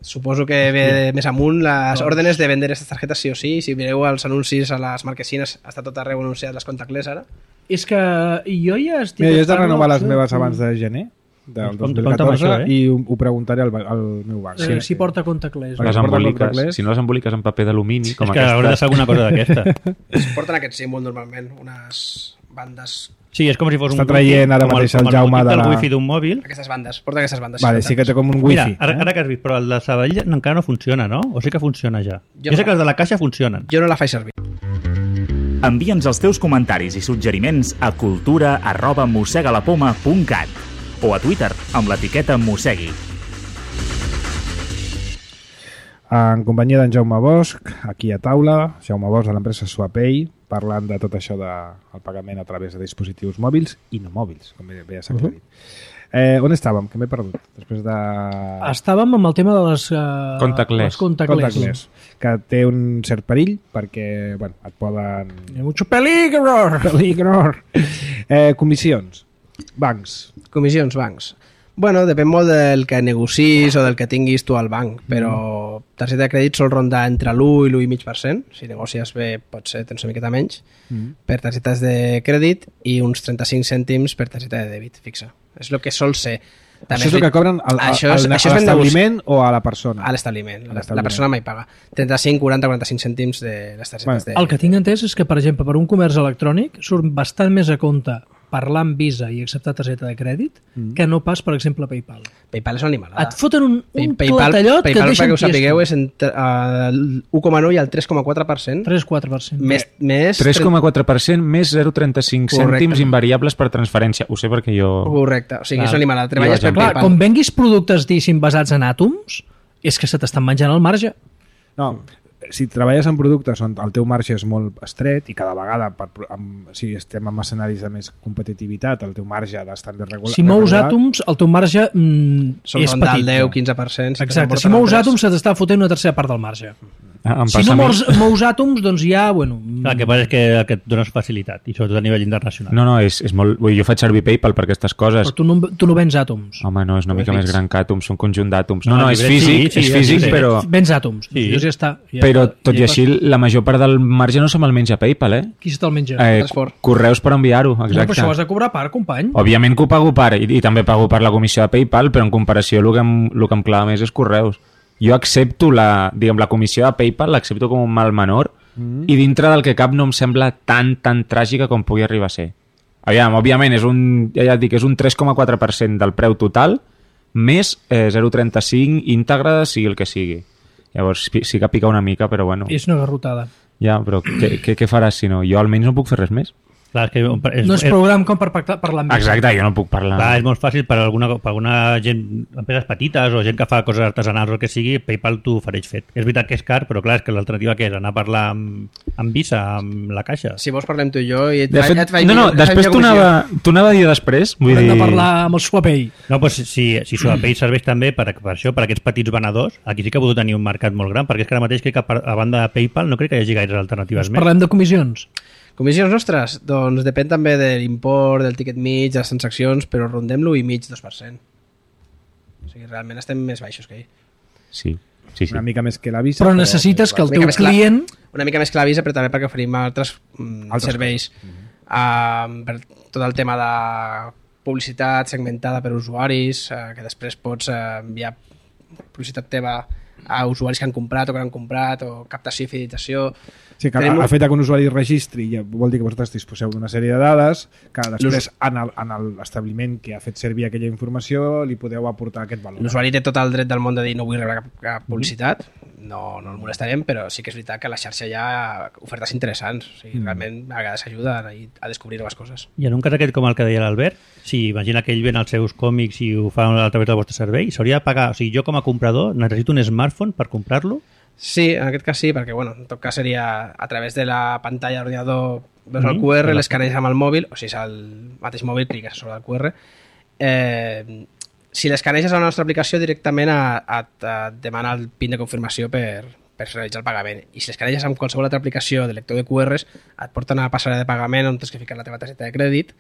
Suposo que ve més amunt les òrdenes de vender aquestes targetes sí o sí. Si mireu els anuncis a les marquesines, està tot arreu anunciat les contactless ara. És que jo ja estic... Mira, jo he de parlant renovar les de- meves abans de gener del Com- dos mil compte amb catorze això, eh? i ho, ho preguntaré al, ba- al meu banc. Eh, si porta contactless. Perquè Les porten emboliques, contactless. si no les emboliques en paper d'alumini, com És que haurà de ser aquesta... alguna cosa d'aquesta. Es porten aquest símbol normalment, unes bandes... Sí, és com si fos Està un traient ara com mateix com el Jaume logotip de del la- wifi d'un mòbil. Aquestes bandes, porten aquestes bandes. Vale, sí que té com un Mira, wifi. ara, eh? ara que has vist, però el de Sabadell encara no funciona, no? O sí que funciona ja? Jo Jo, sé no. que els de la caixa funcionen. Jo no la faig servir. Envia'ns els teus comentaris i suggeriments a cultura arroba mossegalapoma punt cat o a Twitter amb l'etiqueta mossegui. En companyia d'en Jaume Bosch, aquí a taula, Jaume Bosch de l'empresa SuaPay, parlant de tot això del pagament a través de dispositius mòbils i no mòbils, com bé ja s'ha aclarit. Eh, on estàvem? Que m'he perdut. Després de... Estàvem amb el tema de les... Uh, Contactless. Les contactless. Contactless, que té un cert perill perquè bueno, et poden... Hi ha mucho peligro! Peligro! Eh, comissions. Bancs. Comissions, bancs. Bueno, depèn molt del que negocis o del que tinguis tu al banc, però targeta de crèdit sol rondar entre l'u i l'u coma cinc per cent. Si negocies bé, potser tens una miqueta menys per targetes de crèdit i uns trenta-cinc cèntims per targeta de dèbit fixa. És el que sol ser. Això és el que cobren al, al, Això és- al, això a és ben l'establiment o a la persona? A l'establiment. La, l'establiment. la persona mai paga. trenta-cinc, quaranta, quaranta-cinc cèntims de les targetes Bueno, de... El que tinc entès és que, per exemple, per un comerç electrònic surt bastant més a compte parlar amb Visa i acceptar targeta de crèdit que no pas, per exemple, PayPal. PayPal és una animalada. Et foten un, un Pay- PayPal, clatallot que PayPal, et deixen perquè ho sapigueu, tiesto. és entre uh, l'u coma nou i el tres coma quatre per cent. tres quatre per cent. Més, més tres coma quatre per cent més zero coma trenta-cinc Correcte. cèntims invariables per transferència. Ho sé perquè jo... Correcte, o sigui, Clar. és una animalada. Jo Treballes vaig per amb Clar, PayPal. com venguis productes, diguéssim, basats en àtoms, és que se t'estan menjant el marge. No, si treballes en productes on el teu marge és molt estret i cada vegada, per, amb, si estem en escenaris de més competitivitat, el teu marge ha d'estar més regulat. Si mous àtoms, el teu marge mm, Sol és rondar petit. el deu quinze per cent. Exacte, si mous àtoms se t'està fotent una tercera part del marge. Ah, em Si passa no a mi. mous, mous àtoms, doncs ja, bueno... El que passa és que, que et dones facilitat, i sobretot a nivell internacional. No, no, és, és molt... Vull, dir, jo faig servir PayPal per aquestes coses. Però tu no, tu no vens àtoms. Home, no, és una mica Llibrets. més gran que àtoms, un conjunt d'àtoms. No, No, no, és llibrets, físic, sí, sí, és ja físic, sé. però... Vens àtoms. Sí. Doncs ja està. Ja Però, està. tot i Ja així, la major part del marge no se me'l menja PayPal, eh? Qui se te'l menja? eh Transport. correus per enviar-ho, No, però exacte. això ho has de cobrar a part, company. Òbviament que ho pago per, i, i també pago per la comissió de PayPal, però en comparació el que em, el que em clava més és correus. Jo accepto la, diguem, la comissió de PayPal, l'accepto com un mal menor, mm. i dintre del que cap no em sembla tan, tan tràgica com pugui arribar a ser. Aviam, òbviament, és un, ja, ja et dic, és un tres coma quatre per cent del preu total, més eh, zero coma trenta-cinc íntegre, sigui el que sigui. Llavors, sí que pica una mica, però bueno, És una garrotada. ja, però què, què, què faràs si no? Jo almenys no puc fer res més. Clar, és que és, No és és, program com per pactar- parlar amb Exacte, jo no puc parlar. clar, és molt fàcil per alguna, per alguna gent, empreses petites o gent que fa coses artesanals o el que sigui, PayPal t'ho ofereix fet. És veritat que és car, però clar, és que l'alternativa que és anar a parlar amb, amb Visa, amb la caixa. Si vols parlem tu i jo i et, De fet, et faig no, no, millor- et faig després millor t'ho comissió. anava, t'ho anava a dir després. Vull Hem dir... de parlar amb el SwapPay. No, doncs si, si SwapPay serveix també per, per això, per aquests petits venedors, aquí sí que ha pogut tenir un mercat molt gran, perquè és que ara mateix crec que a banda de PayPal no crec que hi hagi gaires alternatives més. Parlem de comissions. Comissions nostres? Doncs depèn també de l'import, del tiquet mig, de les transaccions, però rondem l'u i mig, dos per cent. O sigui, realment estem més baixos que ell. Sí, sí, sí. Una mica més que la Visa. Però necessites que el Una mica teu més clar. client... Una mica més que la Visa, però també perquè oferim altres, mm, Altres serveis. Uh, per tot el tema de publicitat segmentada per usuaris, uh, que després pots uh, enviar publicitat teva a usuaris que han comprat o que no han comprat, o captació i fidelització. Sí, que Tenim el un- fet que un usuari registri ja vol dir que vosaltres disposeu d'una sèrie de dades que després en el- en el- l'establiment que ha fet servir aquella informació li podeu aportar aquest valor. L'usuari té tot el dret del món de dir no vull rebre cap, cap publicitat, no, no el molestarem, però sí que és veritat que a la xarxa hi ha ofertes interessants. O sigui, realment a vegades ajuda a, a descobrir noves coses. I en un cas aquest com el que deia l'Albert, si imagina que ell ven els seus còmics i ho fa a través del vostre servei, s'hauria de pagar, o sigui, jo com a comprador necessito un smartphone per comprar-lo? Sí, en aquest cas sí, perquè bueno, en tot cas seria a través de la pantalla de l'ordinador veus el Mhm. Q R, l'escaneges amb el mòbil, o si és el mateix mòbil, cliques sobre el Q R. Eh, si l'escaneges a la nostra aplicació, directament a, a, a demana el PIN de confirmació per, per realitzar el pagament. I si l'escaneges amb qualsevol altra aplicació de lector de Q Rs, et porten a la passarel·la de pagament on tens que ficar la teva targeta de crèdit,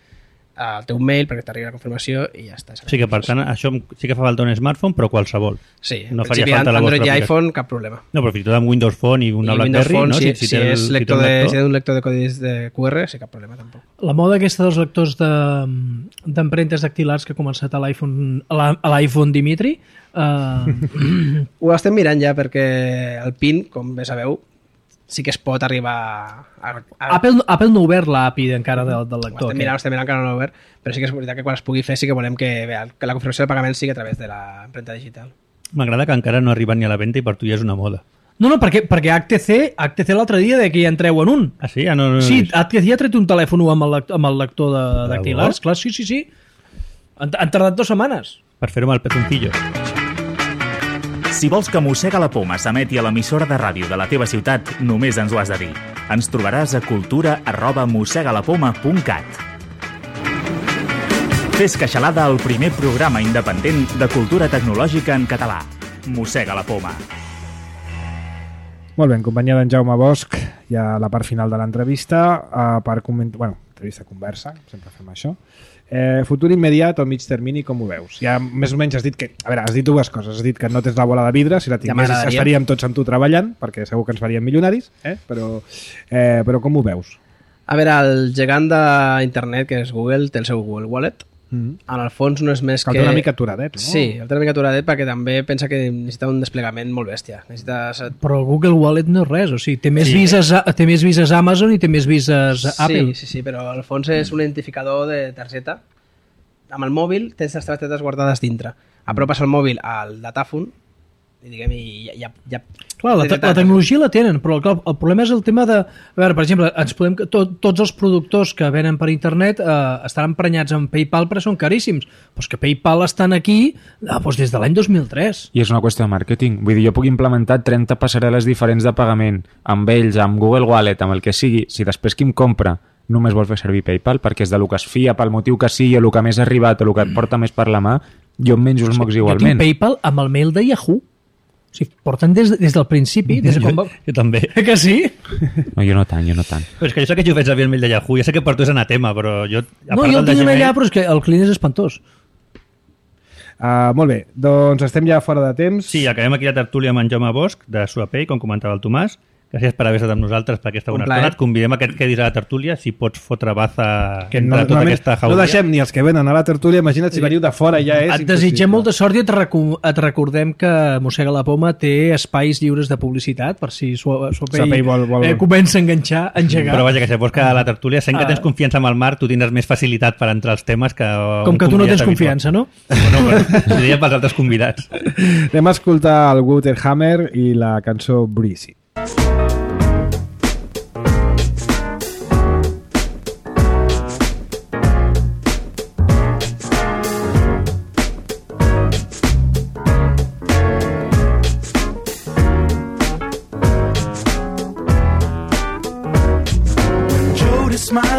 al teu mail perquè t'arribi la confirmació i ja està. O sigui que, per tant, això sí que fa falta un smartphone, però qualsevol. Sí, no en faria principi falta la Android vostra i aplicació. iPhone, cap problema. No, però fins i tot amb Windows Phone i una I Windows BlackBerry, Phone, no? si, si, si, té el- és si té lector un de, lector. si té un lector de codis de Q R, sí, cap problema tampoc. La moda aquesta dels lectors de- d'empremtes dactilars que ha començat a l'iPhone a la- a l'iPhone Dimitri, eh, Ho estem mirant ja perquè el PIN, com bé sabeu, sí que es pot arribar a... a Apple, Apple no ha obert l'A P I encara del, del ho lector. estem mirant, ho estem mirant que no l'ha obert, però sí que és veritat que quan es pugui fer sí que volem que, bé, que la confirmació de pagament sigui a través de l'empremta digital. M'agrada que encara no arriben ni a la venda i per tu ja és una moda. No, no, perquè, perquè H T C, H T C l'altre dia de que ja entreu en un. Ah, sí? Ah, no, no, Sí, no. H T C ja ha tret un telèfon amb el, lect- amb el lector de De dactilars. debò? Clar, sí, sí, sí. Han, han tardat dues setmanes. Per fer-ho amb el pezoncillo. Si vols que Mossega la Poma s'emeti a l'emissora de ràdio de la teva ciutat, només ens ho has de dir. Ens trobaràs a cultura arroba mossegalapoma punt cat. Fes Queixalada, el primer programa independent de cultura tecnològica en català. Mossega la Poma. Molt bé, en companyia d'en Jaume Bosch, ja a la part final de l'entrevista, uh, per comentar... Bueno, entrevista, conversa, sempre fem això. Eh, futur immediat o mig termini, com ho veus? Ja més o menys has dit que... A veure, has dit dues coses. Has dit que no tens la bola de vidre, si la Ja tinguessis m'agradaria. estaríem tots amb tu treballant, perquè segur que ens faríem milionaris, eh? però, eh, però com ho veus? A veure, el gegant d'internet, que és Google, té el seu Google Wallet. Mm -hmm. En el fons no és més Cal que... que... una mica aturadet, no? Sí, el té una mica aturadet perquè també pensa que necessita un desplegament molt bèstia. Necessites... Però el Google Wallet no és res. O sigui, té més, Sí. vises, a- té més vises Amazon i té més vises Apple. Sí, sí, sí, però al fons és un identificador de targeta. Amb el mòbil tens les targetes guardades dintre. Apropes el mòbil al datàfon i diguem, i ja... ja, ja Clar, la, te la tecnologia la tenen, però clar, el problema és el tema de... A veure, per exemple, ens podem, tot, tots els productors que venen per internet eh, estan emprenyats amb PayPal perquè són caríssims. Però és que PayPal estan aquí eh, doncs des de l'any dos mil tres. I és una qüestió de màrqueting. Vull dir, jo puc implementar trenta passarel·les diferents de pagament amb ells, amb Google Wallet, amb el que sigui. Si després qui em compra només vol fer servir PayPal perquè és de lo que es fia, pel motiu que sigui, o el que més ha arribat, o el que et porta més per la mà, jo em menjo els mocs Jo tinc igualment. PayPal amb el mail de Yahoo. O sigui, porten des, des del principi. Des de quan va... Jo, jo també. Que sí? No, jo no tant, jo no tant. Però és que jo sé que jo faig servir el mail de Yahoo, ja sé que per tu és anatema, però jo... a No, part jo el del de tinc Gmail- allà, però és que el client és espantós. Uh, molt bé, doncs estem ja fora de temps. Sí, acabem aquí la tertúlia amb en Jaume Bosch, de SwapPay, com comentava el Tomàs. Gràcies per haver estat amb nosaltres per aquesta Un bona plaer. estona. Et convidem a que et quedis a la tertúlia, si pots fotre baza Que entre no, tota normalment aquesta no jauria. deixem ni els que venen a la tertúlia, imagina't si veniu de fora ja és Et desitgem impossible. molta sort i et, recu et recordem que Mossega la Poma té espais lliures de publicitat per si Swapay Swapay vol- vol- eh, comença a enganxar, a engegar. Però vaja, que si vols que a la tertúlia, sent que Ah. tens confiança amb el Marc, tu tindràs més facilitat per entrar als temes que... Com un que tu no convidat tens habitual. confiança, no? Bueno, però ho deia pels altres convidats. Anem a escoltar el Waterhammer i la cançó Breezy.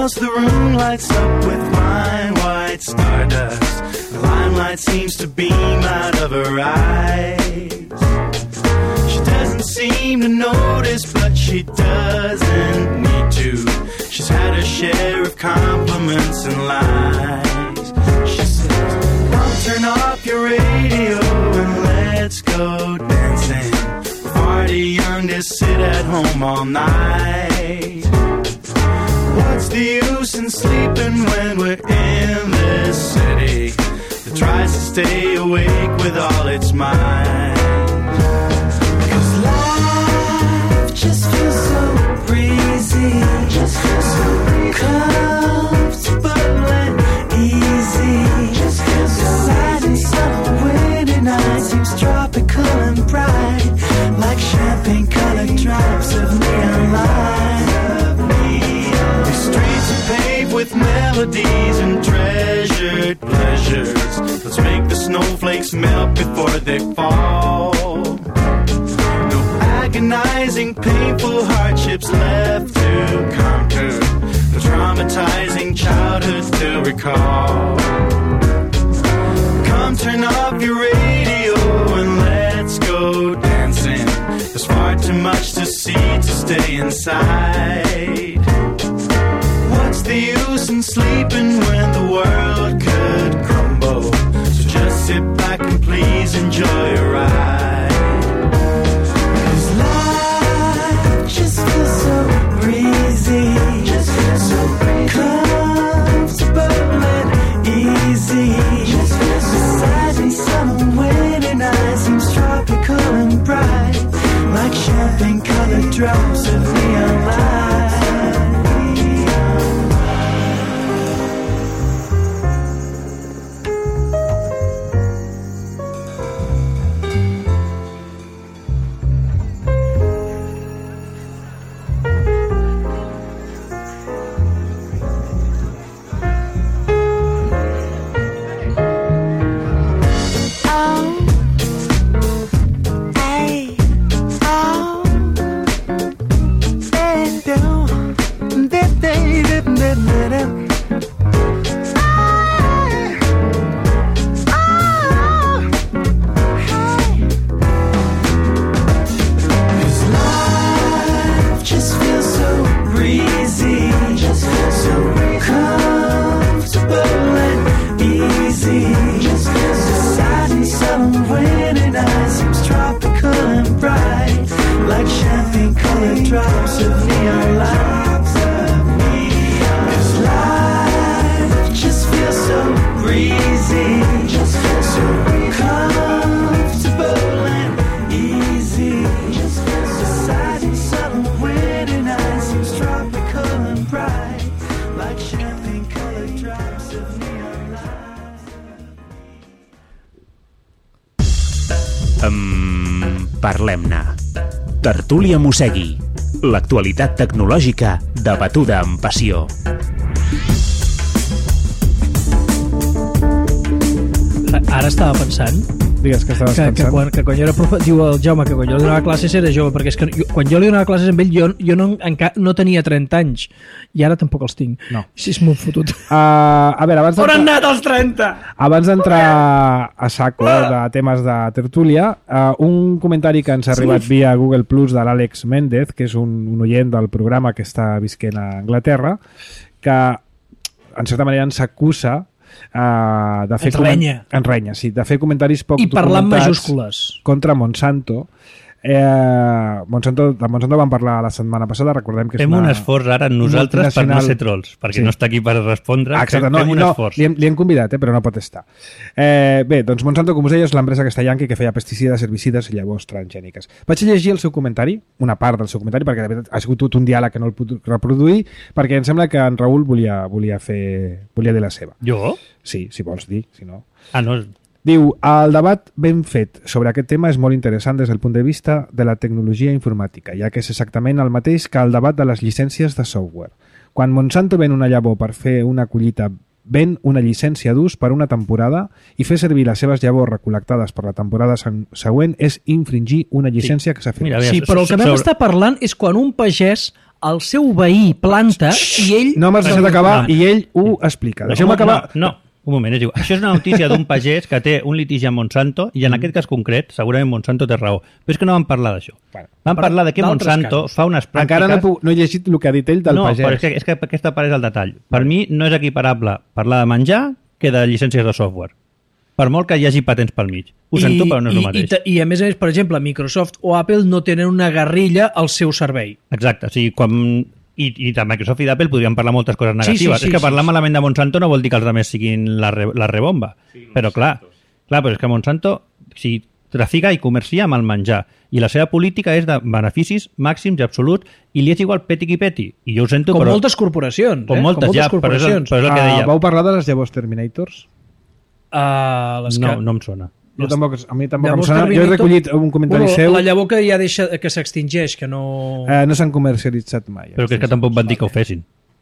else the room lights up with fine white stardust. The limelight seems to beam out of her eyes. She doesn't seem to notice, but she doesn't need to. She's had her share of compliments and lies. She says, "Mom, turn off your radio and let's go dancing. We're far too young to sit at home all night. What's the use in sleeping when we're in this city that tries to stay awake with all its might? Cause life just feels so breezy, just feels so comfortable and easy. Just feels so light and summer winter night seems tropical and bright, like champagne colored drops of neon light. These streets are paved with melodies and treasured pleasures. Let's make the snowflakes melt before they fall. No agonizing, painful hardships left to conquer. No traumatizing childhoods to recall. Come turn off your radio and let's go dancing. There's far too much to see to stay inside. What's the use in sleeping when the world could crumble? So just sit back and please enjoy a ride. Cause life just feels so breezy, just feels so comfortable and easy. Just feels so sad and summer winter night seems tropical and bright, like champagne colored drops of neon light. Um, Parlem-ne. Tertúlia Mossegui. L'actualitat tecnològica debatuda amb passió. Ara estava pensant Digues que estaves que, pensant. que, quan, que quan jo era profe, diu el Jaume que quan jo li donava classes era jove, perquè és que jo, quan jo li donava classes amb ell jo, jo no, enca, no tenia trenta anys i ara tampoc els tinc. No. Sí, és molt fotut. Uh, a veure, abans On han d'entrar, anat els trenta? abans d'entrar a saco de temes de tertúlia, uh, un comentari que ens ha arribat via Google Plus de l'Àlex Méndez, que és un, un oient del programa que està visquent a Anglaterra, que en certa manera ens acusa Uh, de fer Ens renya. Ens renya, sí, de fer comentaris poc I parlar amb documentats majúscules. contra Monsanto. Eh, Monsanto, de Monsanto vam parlar la setmana passada, recordem que és Fem una un esforç ara nosaltres per no multinacional. ser trolls, perquè Sí. no està aquí per respondre. Exacte, fem, no, fem un no, esforç. li, hem, li hem convidat, eh, però no pot estar. Eh, bé, doncs Monsanto, com us deia, és l'empresa castellanca que feia pesticides, herbicides i llavors transgèniques. Vaig llegir el seu comentari, una part del seu comentari, perquè de veritat ha sigut tot un diàleg que no el puc reproduir, perquè em sembla que en Raül volia, volia, fer, volia dir la seva. Jo? Sí, si vols dir, si no... Ah, no. Diu, el debat ben fet sobre aquest tema és molt interessant des del punt de vista de la tecnologia informàtica, ja que és exactament el mateix que el debat de les llicències de software. Quan Monsanto ven una llavor per fer una collita, ven una llicència d'ús per una temporada i fer servir les seves llavors recol·lectades per la temporada següent és infringir una llicència que s'ha fet. Mira, a veure, Sí, però el que vam sobre- estar parlant és quan un pagès el seu veí planta i ell... No m'has deixat acabar i ell ho explica. Deixeu-me acabar... No, no, un moment, és igual. Això és una notícia d'un pagès que té un litigi amb Monsanto i en aquest cas concret, segurament Monsanto té raó. Però és que no vam parlar d'això. Bueno, vam parlar de que Monsanto casos. fa unes pràctiques... Encara no he, pu- no he llegit el que ha dit ell del no, pagès. No, però és que, és que aquesta part és el detall. Per mi no és equiparable parlar de menjar que de llicències de software. Per molt que hi hagi patents pel mig. Ho sento, però no és el mateix. I, i, I a més a més, per exemple, Microsoft o Apple no tenen una guerrilla al seu servei. Exacte, o sigui, quan... I, i de Microsoft i d'Apple podríem parlar moltes coses negatives. Sí, sí, sí, és que parlar sí, sí. malament de Monsanto no vol dir que els altres siguin la, re, la rebomba. Sí, però clar, clar, però és que Monsanto si trafica i comercia amb el menjar i la seva política és de beneficis màxims i absoluts i li és igual peti qui peti. I jo ho sento, Com però... moltes corporacions. Com eh? moltes, Com moltes ja, però és, el, corporacions. però és el que deia. Uh, vau parlar de les llavors Terminators? Uh, les No, que... no em sona. Jo tampoc, a mi tampoc em Llavors, sona. Jo he Terminator- recollit un comentari bueno, seu. La llavor que ja deixa, que s'extingeix, que no... Eh, no s'han comercialitzat mai. Però que és que tampoc van dir que ho fessin.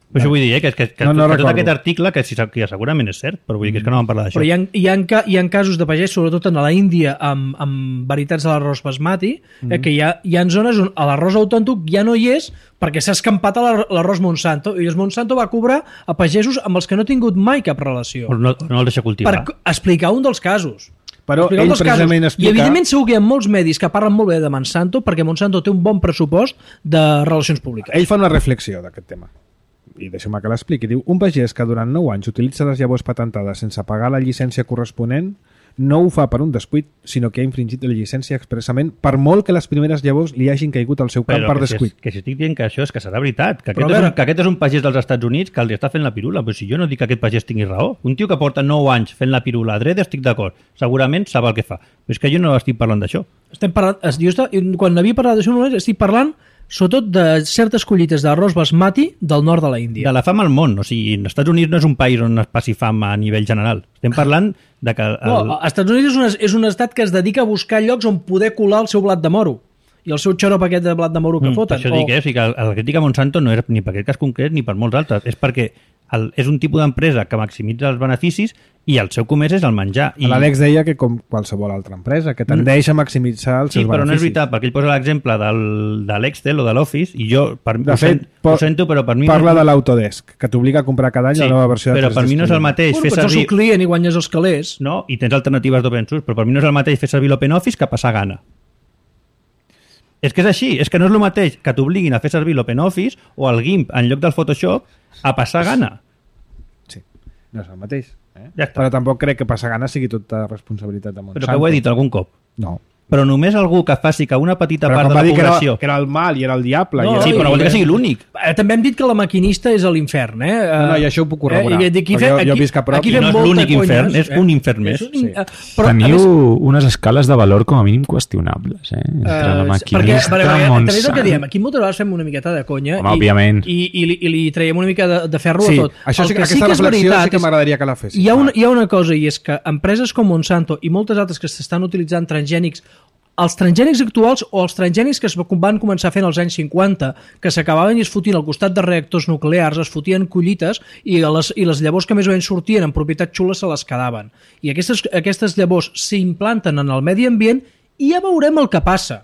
Però això vull dir, eh, que, que, que, No, no que tot recordo. aquest article, que, si, que segurament és cert, però vull dir que és que no vam parlar d'això. Però hi ha, hi, ha, ca- hi ha casos de pagès, sobretot en la Índia, amb, amb varietats de l'arròs basmati, mm. eh, que hi ha, hi ha zones on l'arròs autòntic ja no hi és perquè s'ha escampat a l'ar- l'arròs Monsanto, i el Monsanto va cobrar a pagesos amb els que no ha tingut mai cap relació. O no, no el deixa cultivar. Per explicar un dels casos. Però Explicar un ell dels precisament casos. explica... I evidentment segur que hi ha molts medis que parlen molt bé de Monsanto perquè Monsanto té un bon pressupost de relacions públiques. Ell fa una reflexió d'aquest tema. I deixeu-me que l'expliqui. Diu, un pagès que durant nou anys utilitza les llavors patentades sense pagar la llicència corresponent no ho fa per un descuit, sinó que ha infringit la llicència expressament per molt que les primeres llavors li hagin caigut al seu camp Però per que si, descuit. és, que si estic dient que això és que serà veritat, que Però aquest, a és veure- un, que aquest és un pagès dels Estats Units que els està fent la pirula, però si jo no dic que aquest pagès tingui raó. Un tio que porta nou anys fent la pirula a dret, estic d'acord. Segurament sap el que fa. Però és que jo no estic parlant d'això. Estem parlant, es- jo està, quan havia parlat d'això només estic parlant sobretot de certes collites d'arròs basmati del nord de la Índia. De la fam al món. O sigui, els Estats Units no és un país on es passi fam a nivell general. Estem parlant de que... El... No, als Estats Units és un, és un estat que es dedica a buscar llocs on poder colar el seu blat de moro i el seu xarop aquest de blat de moro que Mm, per foten. això dic, eh? O sigui, que el, el crítica Monsanto no és ni per aquest cas concret ni per molts altres. És perquè el, és un tipus d'empresa que maximitza els beneficis i el seu comerç és el menjar. I... L'Àlex deia que com qualsevol altra empresa, que tendeix a maximitzar els Sí, seus però no és beneficis. veritat, perquè ell posa l'exemple del, de l'Excel o de l'Office i jo, per, De ho, fet, sent, po- ho sento, però per mi... Parla no, de l'Autodesk, que t'obliga a comprar cada any sí, la nova versió de però per mi no és el mateix Bueno, fer però ets el servir... seu client i guanyes els calés. No, i tens alternatives d'open source, però per mi no és el mateix fer servir l'OpenOffice que passar gana. És que és així, és que no és el mateix que t'obliguin a fer servir l'OpenOffice o el GIMP en lloc del Photoshop a passar gana. Sí, no és el mateix. Eh? Ja està. Però tampoc crec que passar gana sigui tota responsabilitat de Monsanto. Però que ho he dit algun cop. No. Però només algú que faci que una petita Però part com de va la dir que era, població... que era el mal i era el diable. No, i era... Sí, però no vol dir que sigui l'únic. Eh, També hem dit que la maquinista és a l'infern, eh? No, no, i això ho puc corroborar, Eh, i aquí perquè fem- jo- jo aquí- visc a prop aquí i fem no és molta l'únic conyes, infern, és un infern més. És un, Sí. eh, però, a Teniu més, unes escales de valor com a mínim qüestionables, eh? Entre la Eh, perquè, maquinista, perquè, perquè, també és el que diem, Monsanto... aquí moltes vegades fem una miqueta de conya Home, i, òbviament. i, i, li, i li traiem una mica de, de ferro Sí, a tot. això sí, El que, aquesta que és reflexió veritat sí que és- m'agradaria que la fessis. Hi ha, una, hi ha una cosa, i és que empreses com Monsanto i moltes altres que s'estan utilitzant transgènics, els transgènics actuals o els transgènics que es van començar fent als anys cinquanta, que s'acabaven i es fotien al costat de reactors nuclears, es fotien collites i les, i les llavors que més o menys sortien en propietats xules se les quedaven. I aquestes, aquestes llavors s'implanten en el medi ambient i ja veurem el que passa.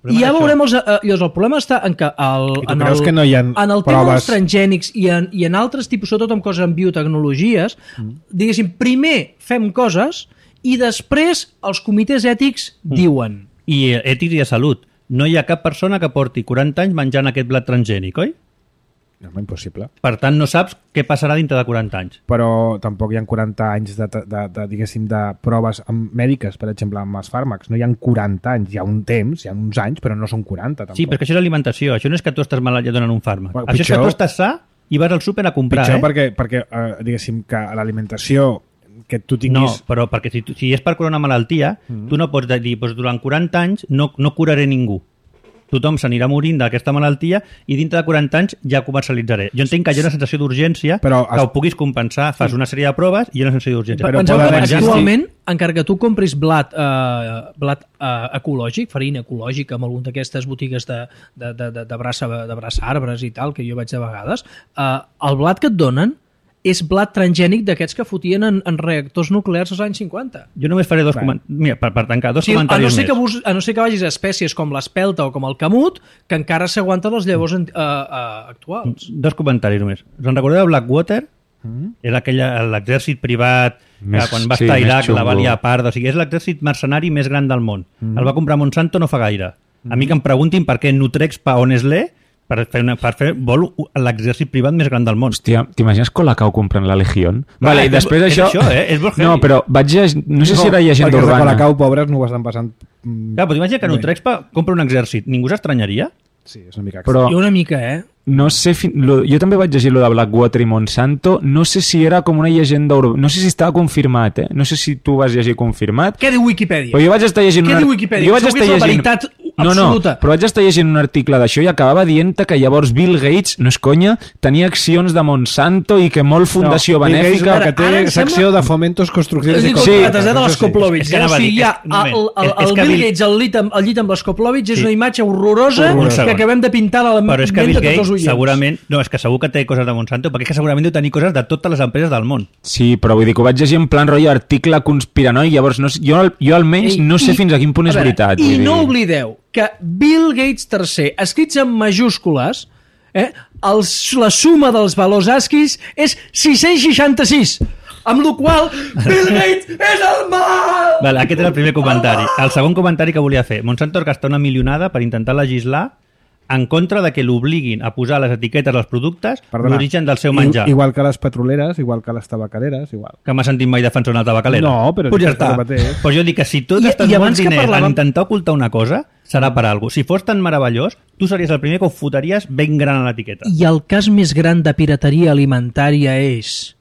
I ja veurem els... Eh, llavors, el problema està en que el, I tu en creus el, que no hi ha en el tema proves? dels transgènics i en, i en altres tipus, sobretot amb coses en biotecnologies, mm. diguéssim, primer fem coses i després els comitès ètics mm. diuen. I ètics i de salut. No hi ha cap persona que porti quaranta anys menjant aquest blat transgènic, oi? No, és impossible. Per tant, no saps què passarà dintre de quaranta anys. Però tampoc hi ha quaranta anys de, de, de, diguéssim, de proves amb mèdiques, per exemple, amb els fàrmacs. No hi ha quaranta anys, hi ha un temps, hi ha uns anys, però no són quaranta, tampoc. Sí, perquè això és alimentació. Això no és que tu estàs malalt i et donen un fàrmac. Bueno, Això és pitjor- que tu estàs sa i vas al súper a comprar, Pitjor eh? perquè, perquè eh, diguéssim, que l'alimentació que tu No, tinguis... però perquè si, tu- si és per curar una malaltia, mm. tu no pots dir, doncs, durant quaranta anys no, no curaré ningú. Tothom s'anirà morint d'aquesta malaltia i dintre de quaranta anys ja comercialitzaré. Jo entenc que hi ha una sensació d'urgència Però que es- ho puguis compensar, fas una sèrie de proves i hi ha una sensació d'urgència. Però Penseu poden que existir- actualment, encara que tu compris blat, eh, blat eh, ecològic, farina ecològica amb alguna d'aquestes botigues de, de, de, de, de, braça, de braça arbres i tal, que jo vaig de vegades, eh, el blat que et donen és blat transgènic d'aquests que fotien en, en reactors nuclears als anys cinquanta. Jo només faré dos comentaris. Mira, per, per tancar, dos Sí, a, no comentaris ser més. que bus, a no ser que vagis a espècies com l'espelta o com el camut, que encara s'aguanten les llavors uh, uh, actuals. Dos comentaris només. Us en recordeu de Blackwater? Mm. Era aquella, l'exèrcit privat Més- que quan va sí, estar a més Iraq la xungo. valia a part. O sigui, és l'exèrcit mercenari més gran del món. Mm. El va comprar Monsanto no fa gaire. A mi que em preguntin per què Nutrex pa on és l'E, per fer, una, per fer vol l'exèrcit privat més gran del món. Hòstia, t'imagines Colacao comprant la Legión? Vale, i és- després és això... això, eh? És molt No, heavy. però vaig llegir... No sé si era llegenda perquè els de urbana. Colacao, pobres, no ho estan passant... mm, Clar, però t'imagina que bé. Nutrexpa compra un exèrcit. Ningú s'estranyaria? Sí, és una mica... Però I una mica, eh? no sé... Fin... Lo... Jo també vaig llegir lo de Blackwater i Monsanto. No sé si era com una llegenda urbana. No sé si estava confirmat, eh? No sé si tu vas llegir confirmat. Què diu Wikipedia? Però jo vaig estar llegint... Què un diu ar- Wikipedia? Jo vaig Segur que estar és la llegint... veritat No, no, absoluta. però vaig estar llegint un article d'això i acabava dient que llavors Bill Gates, no és conya, tenia accions de Monsanto i que molt fundació Bill Gates, benèfica... que té Ara em secció sembla- de fomentos construccions És i dir, Sí. contrates, eh, de Això sí. l'Skoplovich. És que Eh? O anava a sigui, dir, hi ha és- un moment. el, el, És- és el que Bill Bill- Gates al llit amb, al llit amb l'Skoplovich és Sí. una imatge horrorosa Un que segon. acabem de pintar a la Però és que ment Bill de tots els Gates oients. segurament... No, és que segur que té coses de Monsanto, perquè és que segurament deu tenir coses de totes les empreses del món. Sí, però vull dir que ho vaig llegir en plan rotllo article conspiranoic, llavors no, sé- jo, jo almenys Ei, no sé i- fins a quin punt a és veure, veritat. I vull no dir. oblideu que Bill Gates tercer, escrits en majúscules, eh, els, la suma dels valors ASCII és sis-cents seixanta-sis, amb la qual Bill Gates és el mal! Vale, aquest era el primer comentari. El segon comentari que volia fer. Monsanto es gasta una milionada per intentar legislar en contra de que l'obliguin a posar a les etiquetes dels productes Perdona. l'origen del seu I- menjar. Igual que les petroleres, igual que les tabacaderes, igual. Que m'ha sentit mai defensar una tabacalera. No, però pues és ja que està. és el mateix. Pues jo dic que si tu I- gastes i molts abans que diners parlàvem- en intentar ocultar una cosa, serà per alguna cosa. Si fos tan meravellós, tu series el primer que ho fotries ben gran a l'etiqueta. I el cas més gran de pirateria alimentària és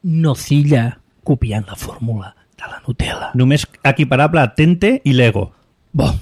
Nocilla copiant la fórmula de la Nutella. Només equiparable a Tente i Lego. Bo.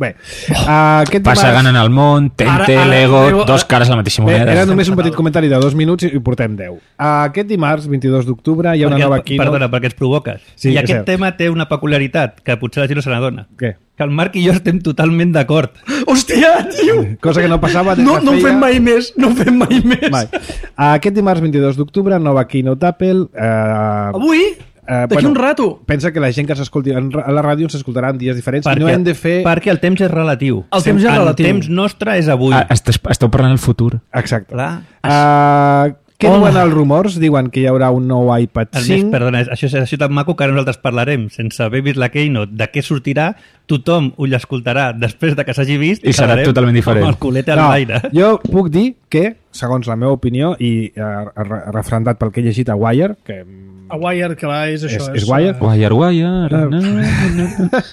Bé, uh, aquest Passa dimarts... ganant el món, Tente, Ara- ara- Lego, Lego- dos cares a la mateixa Bé, moneda. era només un petit comentari de dos minuts i portem deu. Uh, aquest dimarts, vint-i-dos d'octubre, hi ha una perquè, nova keynote... Perdona, perquè ens provoques. Sí, I és aquest cert. tema té una peculiaritat que potser la gent no se n'adona. Què? Que el Marc i jo estem totalment d'acord. Hòstia, tio! Cosa que no passava des No, de no ho feia... fem mai més, no ho fem mai més. Mai. Uh, aquest dimarts, vint-i-dos d'octubre, nova keynote Apple... Uh, Avui? Eh, D'aquí un rato? Pensa que la gent que s'escolti en ra- a la ràdio s'escoltarà en dies diferents Perquè, i no hem de fer... perquè el temps és relatiu. El temps és el relatiu. temps nostre és avui. Ah, esteu, esteu parlant del futur. Exacte. Clar. Uh, què Hola. diuen els rumors? Diuen que hi haurà un nou iPad El més, cinc. perdona, això és això tan maco que ara nosaltres parlarem sense haver vist la Keynote de què sortirà, tothom ho l'escoltarà després de que s'hagi vist I serà quedarem totalment diferent. amb el culete No, a l'aire. jo puc dir que, segons la meva opinió, i uh, refrendat pel que he llegit a Wire, que A Wire, clar, és això. És- és Wire? Wire, wire... Ah. No, no.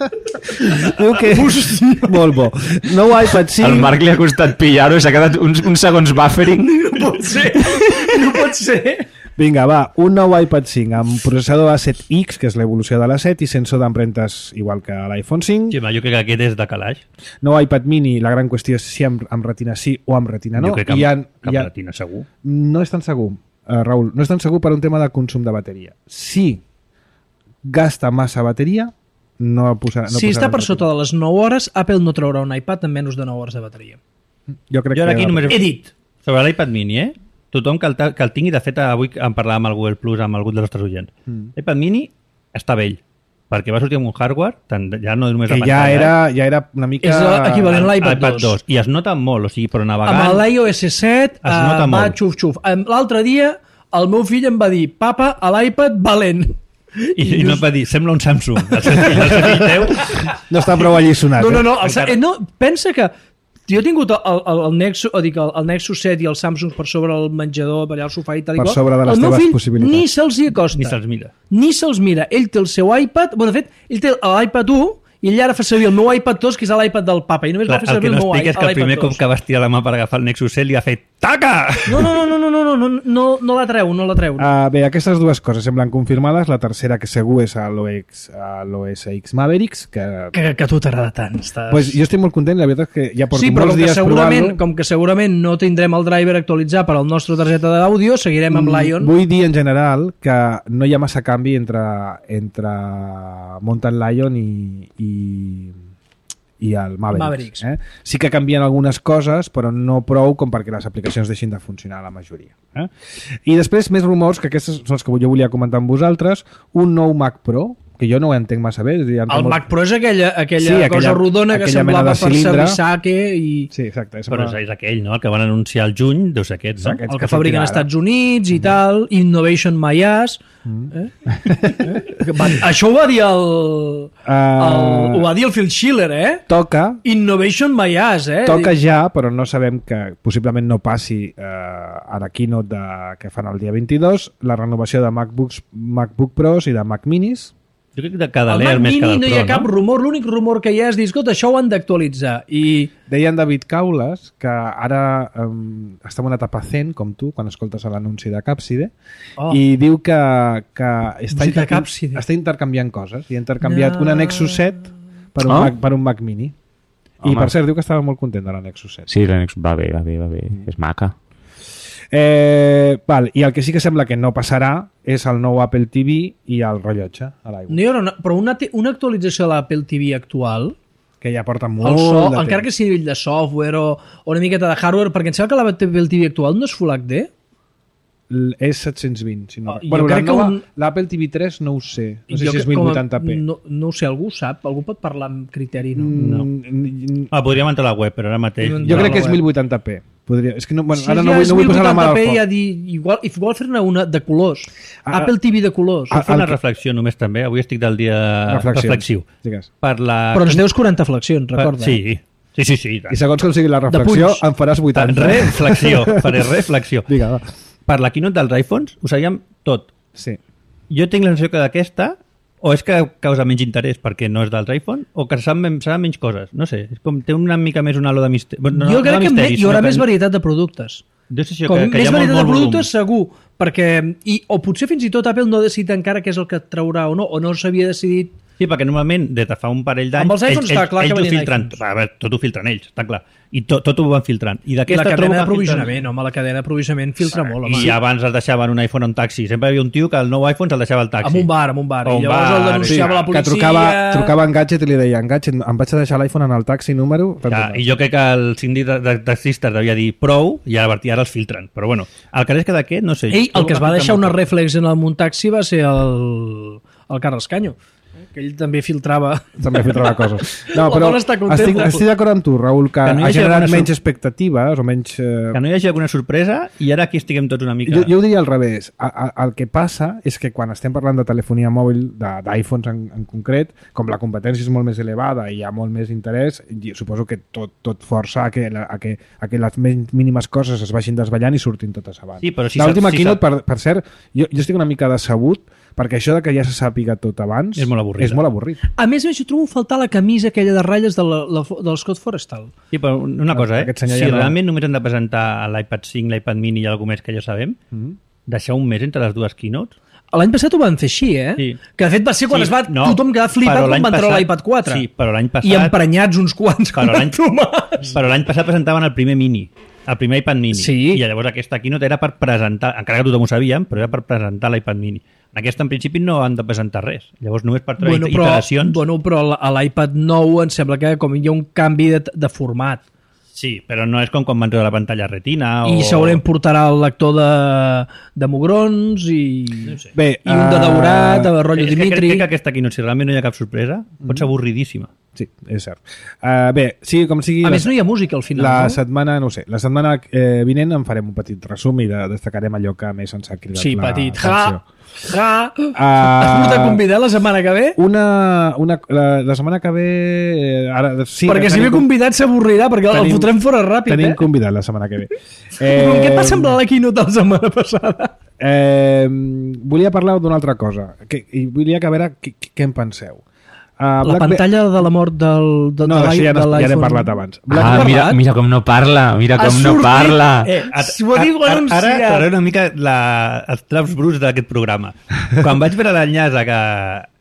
diu que... Molt bo. Nou iPad cinc... El Marc li ha costat pillar-ho i s'ha quedat uns, uns segons buffering. No pot ser, no pot ser. Vinga, va, un nou iPad cinc amb processador A set X, que és l'evolució de l'A set, i sensor d'empremtes igual que l'iPhone cinc. Sí, home, jo crec que aquest és de calaix. Nou iPad mini, la gran qüestió és si amb, amb retina sí o amb retina no. jo crec que I amb, ha- que hi amb ha- retina segur. No és tan segur, uh, Raül, no és tan segur per un tema de consum de bateria. Si gasta massa bateria, no posarà... No Si està posarà per sota de les nou hores, Apple no traurà un iPad amb menys de nou hores de bateria. Jo crec Jo ara aquí que... només... He dit. Sobre l'iPad mini, eh? Tothom que el, ta- que el tingui, de fet, avui en parlàvem amb el Google Plus, amb algun dels nostres oients. Mm. L'iPad mini està vell, perquè va sortir amb un hardware, tant, ja no només Que la ja pantalla, era, ja era una mica... És l'equivalent a l'iPad iPad dos. dos. I es nota molt, o sigui, però navegant... Amb l'iOS set Es nota uh, va molt. xuf-xuf. Em- L'altre dia el meu fill em va dir papa, a l'iPad valent. I, i no et va dir, sembla un Samsung. El seu fill, el seu fill teu... No està prou allisonat. No, no, eh? no, el, Encara- eh, no pensa que jo he tingut el, el, el, Nexus, o dic, el, el Nexus set i el Samsung per sobre el menjador, per allà al sofà i tal i Per qual. sobre de les el meu teves fill possibilitats. ni se'ls hi acosta. Ni se'ls mira. Ni se'ls mira. Ell té el seu iPad, bueno, de fet, ell té l'iPad u i ell ara fa servir el meu iPad dos, que és l'iPad del papa, i només Clar, va fer el servir que el, no meu explica és que el l'iPad primer dos. cop que va estirar la mà per agafar el Nexus set li ha fet taca! No, no, no, no, no, no, no, no, no la treu, no la treu. Uh, bé, aquestes dues coses semblen confirmades. La tercera, que segur, és a l'O S X Mavericks, que... Que, que a tu t'agrada tant. Estàs... Pues jo estic molt content, la veritat és que ja porto Sí, però molts com que, dies segurament, provant-lo. com que segurament no tindrem el driver actualitzat per al nostre targeta d'àudio, seguirem amb Lion. Vull dir en general que no hi ha massa canvi entre, entre Mountain Lion i, i, i el Mavericks. Mavericks. Eh? Sí que canvien algunes coses, però no prou com perquè les aplicacions deixin de funcionar la majoria. Eh? I després més rumors, que aquests són els que jo volia comentar amb vosaltres, un nou Mac Pro, que jo no ho entenc massa bé. El molt... Mac Pro és aquella, aquella, sí, aquella cosa rodona que semblava per Sabisake i... Sí, exacte. Però és, és aquell, no? El que van anunciar al juny, deu ser aquest, no? Aquests el que, que fabriquen als Estats Units i mm. tal, Innovation My Ass. Mm. Eh? eh? Va, això ho va dir el, uh, el... Ho va dir el Phil Schiller, eh? Toca... Innovation My Ass, eh? Toca ja, però no sabem que possiblement no passi eh, a la keynote de, que fan el dia vint-i-dos, la renovació de MacBooks, MacBook Pros i de Mac Minis. Jo crec que de cada el l'Air més que del Pro, no hi ha cap no? rumor, l'únic rumor que hi ha és dir, escolta, això ho han d'actualitzar. I... Deien David Caules que ara um, està en una etapa zen, com tu, quan escoltes l'anunci de Capside, oh. i diu que, que està, inter... està intercanviant coses. I ha intercanviat no. una Nexus set per un, oh. Mac, per un Mac Mini. Home. I per cert, diu que estava molt content de la Nexus set. Sí, la Nexus va bé, va bé, va bé. Mm. És maca. Eh, val, i el que sí que sembla que no passarà és el nou Apple T V i el rellotge a l'aigua. No, no, però una, una actualització de l'Apple T V actual, que ja porta molt el so, de encara temps. que sigui a nivell de software o, o una miqueta de hardware, perquè em sembla que l'Apple T V actual no és Full H D. És set-cents vint, si no. Oh, bueno, crec la nova, un... l'Apple T V tres no ho sé. No sé jo si és mil vuitanta p. No, no ho sé, algú sap? Algú pot parlar amb criteri? No. Mm, no. Ah, podríem entrar a la web, però ara mateix... Jo crec que és mil vuitanta p. Podria... És que no, bueno, si ara ja no vull, no vull posar la mà al foc. Ja dir, igual, igual fer-ne una de colors. Ah, Apple T V de colors. Puc fer una que... reflexió només també? Avui estic del dia reflexiu. Per la... Però ens deus quaranta flexions, recorda. Per... Sí, sí, sí. sí I segons com sigui la reflexió, em faràs vuitanta. Reflexió, faré reflexió. Digue, va. Per la keynote dels iPhones ho sabíem tot. Sí. Jo tinc la sensació que d'aquesta o és que causa menys interès perquè no és dels iPhone o que saben, saben menys coses. No sé, és com té una mica més un halo de misteri. No, jo crec no que misteri, hi haurà que... més varietat de productes. Com que, que més varietat de productes volum. segur, perquè i, o potser fins i tot Apple no ha decidit encara què és el que traurà o no, o no s'havia decidit. Sí, perquè normalment, des de fa un parell d'anys, amb els iPhones ells, està clar ells, que ells ho filtren. A veure, tot ho filtren ells, està clar. I tot, tot ho van filtrant. I, I la cadena d'aprovisionament, filtren... home, la cadena d'aprovisionament filtra sí, molt. Home. I abans es deixaven un iPhone a un taxi. Sempre hi havia un tio que el nou iPhone se'l deixava al taxi. Amb un bar, amb un bar. O I llavors bar, el denunciava sí, la policia... Que trucava, trucava en Gadget i li deia, en Gadget, em vaig a deixar l'iPhone en el taxi número... Ja, I jo crec que el síndic de, de taxistes devia dir prou i ara, ara els filtren. Però bueno, el que és que d'aquest, no sé... Ell, el que es va deixar una reflex en el taxi va ser el, el Carles Canyo. Que ell també filtrava... També filtrava coses. No, però estic, estic d'acord amb tu, Raül, que, que no ha generat menys expectatives o menys... Eh... Que no hi hagi alguna sorpresa i ara aquí estiguem tots una mica... Jo, jo ho diria al revés. A, a, el que passa és que quan estem parlant de telefonia mòbil, d'iPhones en, en concret, com la competència és molt més elevada i hi ha molt més interès, suposo que tot, tot força a que, a, que, a que les mínimes coses es vagin desballant i surtin totes abans. Sí, però si l'última si keynote, per, per cert, jo, jo estic una mica decebut perquè això de que ja se sàpiga tot abans és molt avorrit. És molt avorrit. A més a més, jo trobo faltar la camisa aquella de ratlles de la, la, del Scott Forrestal. Sí, però una cosa, eh? Si ja realment no... només hem de presentar l'iPad cinc, l'iPad mini i alguna més que ja sabem, mm-hmm. deixar un mes entre les dues keynotes... L'any passat ho van fer així, eh? Sí. Que de fet va ser quan sí, es va no, tothom quedar flipat quan va entrar l'iPad quatre. Sí, però l'any passat... I emprenyats uns quants però com Tomàs. Però l'any passat presentaven el primer mini, el primer iPad mini. Sí. I llavors aquesta keynote era per presentar, encara que tothom ho sabíem, però era per presentar l'iPad mini. En aquesta, en principi, no han de presentar res. Llavors, només per treure bueno, però, iteracions... Bueno, però a l'iPad nou em sembla que com hi ha un canvi de, de format. Sí, però no és com quan van treure la pantalla retina o... I segurament portarà el lector de, de mugrons i, no sé. Bé, i un de daurat, de rotllo és Dimitri... Que crec que aquesta aquí, no, si realment no hi ha cap sorpresa, pot ser avorridíssima. Sí, és cert. Uh, bé, sí, com sigui... A més, no hi ha música al final, la no? La setmana, no ho sé, la setmana eh, vinent en farem un petit resum i de, destacarem allò que més ens ha cridat sí, la petit. atenció. Ja! Ja! Uh, Has portat convidat la setmana que ve? Una, una, la, la setmana que ve... Eh, ara, sí, perquè si ve convidat s'avorrirà, perquè tenim, el fotrem fora ràpid, tenim eh? Tenim convidat la setmana que ve. Eh, què passa amb la keynote la setmana passada? Eh, volia parlar d'una altra cosa, que, i volia que a veure què, què en penseu. Uh, la pantalla de la mort del, de, no, de ja, de ja n'hem parlat abans. Ah, mira, mira com no parla, mira com no parla. Eh, S'ho ha dit anunciat. Ara faré una mica la, els traps bruts d'aquest programa. Quan vaig veure l'enllaç que...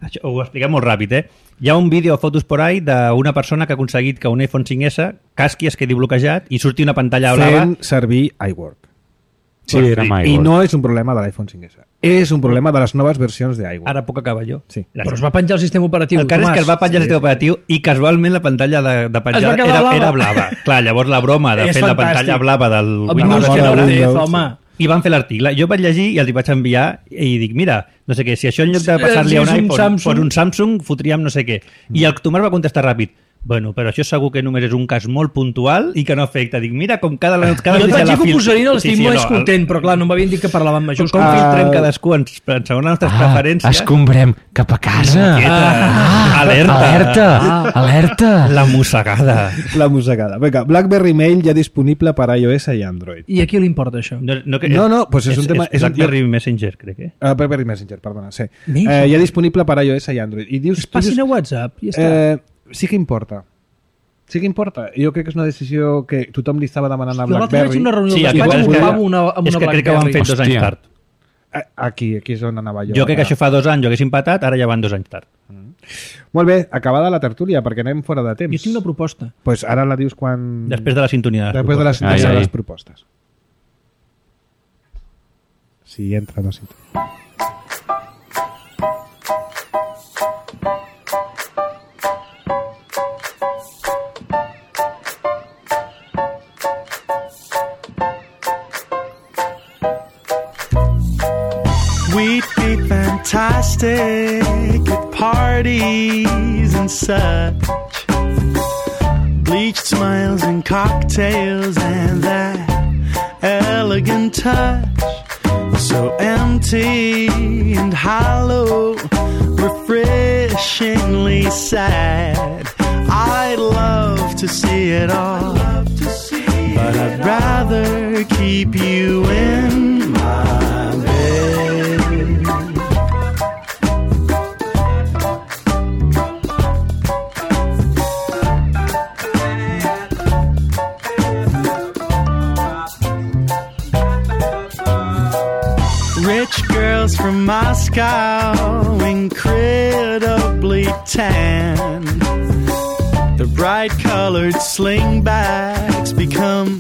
Això, ho expliquem molt ràpid, eh? Hi ha un vídeo a fotos por ahí d'una persona que ha aconseguit que un iPhone cinc esse casqui, es quedi bloquejat i surti una pantalla blava... Fent servir iWork. Sí, era amb I iWork. no és un problema de l'iPhone cinc essa. És un problema de les noves versions d'iWork. Ara puc acabar jo. Sí. Però es va penjar el sistema operatiu, El cas és Tomàs. que es va penjar el sistema operatiu i casualment la pantalla de, de penjar Es va quedar era, blava. era blava. Clar, llavors la broma de És fer la fantàstic. pantalla blava del El Windows Windows bona que no té, Windows, home. i van fer l'article. Jo vaig llegir i els hi vaig enviar i dic, mira, no sé què, si això en lloc de passar-li Si a un és un iPhone Samsung. per un Samsung, fotríem no sé què. I el Tomàs va contestar ràpid, bueno, però això segur que només és un cas molt puntual i que no afecta. Dic, mira com cada... cada Jo et notícia vaig dir la que ho fil- posarien, l'estic Sí, sí, més no, el- content, però clar, no m'havien dit que parlaven Com majúscules. filtrem Ah. cadascú en, en segons les nostres Ah, preferències. escombrem cap a casa. Ah, alerta. Alerta, alerta. La mossegada. La mossegada. Vinga, BlackBerry Mail ja disponible per iOS i Android. I a qui li importa això? No, no, que, No, no, pues és un tema- és És, un- BlackBerry Messenger, crec, eh? Uh, BlackBerry Messenger, perdona, sí. Més? Eh, ja disponible per iOS i Android. I dius, Es tu passin dius, a WhatsApp i ja està. eh, sí que importa. Sí que importa. Jo crec que és una decisió que tothom li estava demanant a Jo l'altre vaig BlackBerry. a una reunió Sí, del el que despatx passa i és que- jugava una, amb És una que crec que ho han BlackBerry. fet dos anys Hòstia. tard. Eh, Aquí, aquí és on anava jo. Jo crec que ara. això fa dos anys jo hagués empatat, ara ja van dos anys tard. Molt bé, acabada la tertúlia, perquè anem fora de temps. Jo tinc una proposta. Pues ara la dius quan... Després de la sintonia. de les Després de les, Ai, de ai. les propostes. Si entra, no sintonia. We'd be fantastic at parties and such. Bleached smiles and cocktails and that elegant touch. So empty and hollow, refreshingly sad. I'd love to see it all, but I'd rather keep you in my bed. Rich girls from Moscow, incredibly tan. The bright colored slingbacks become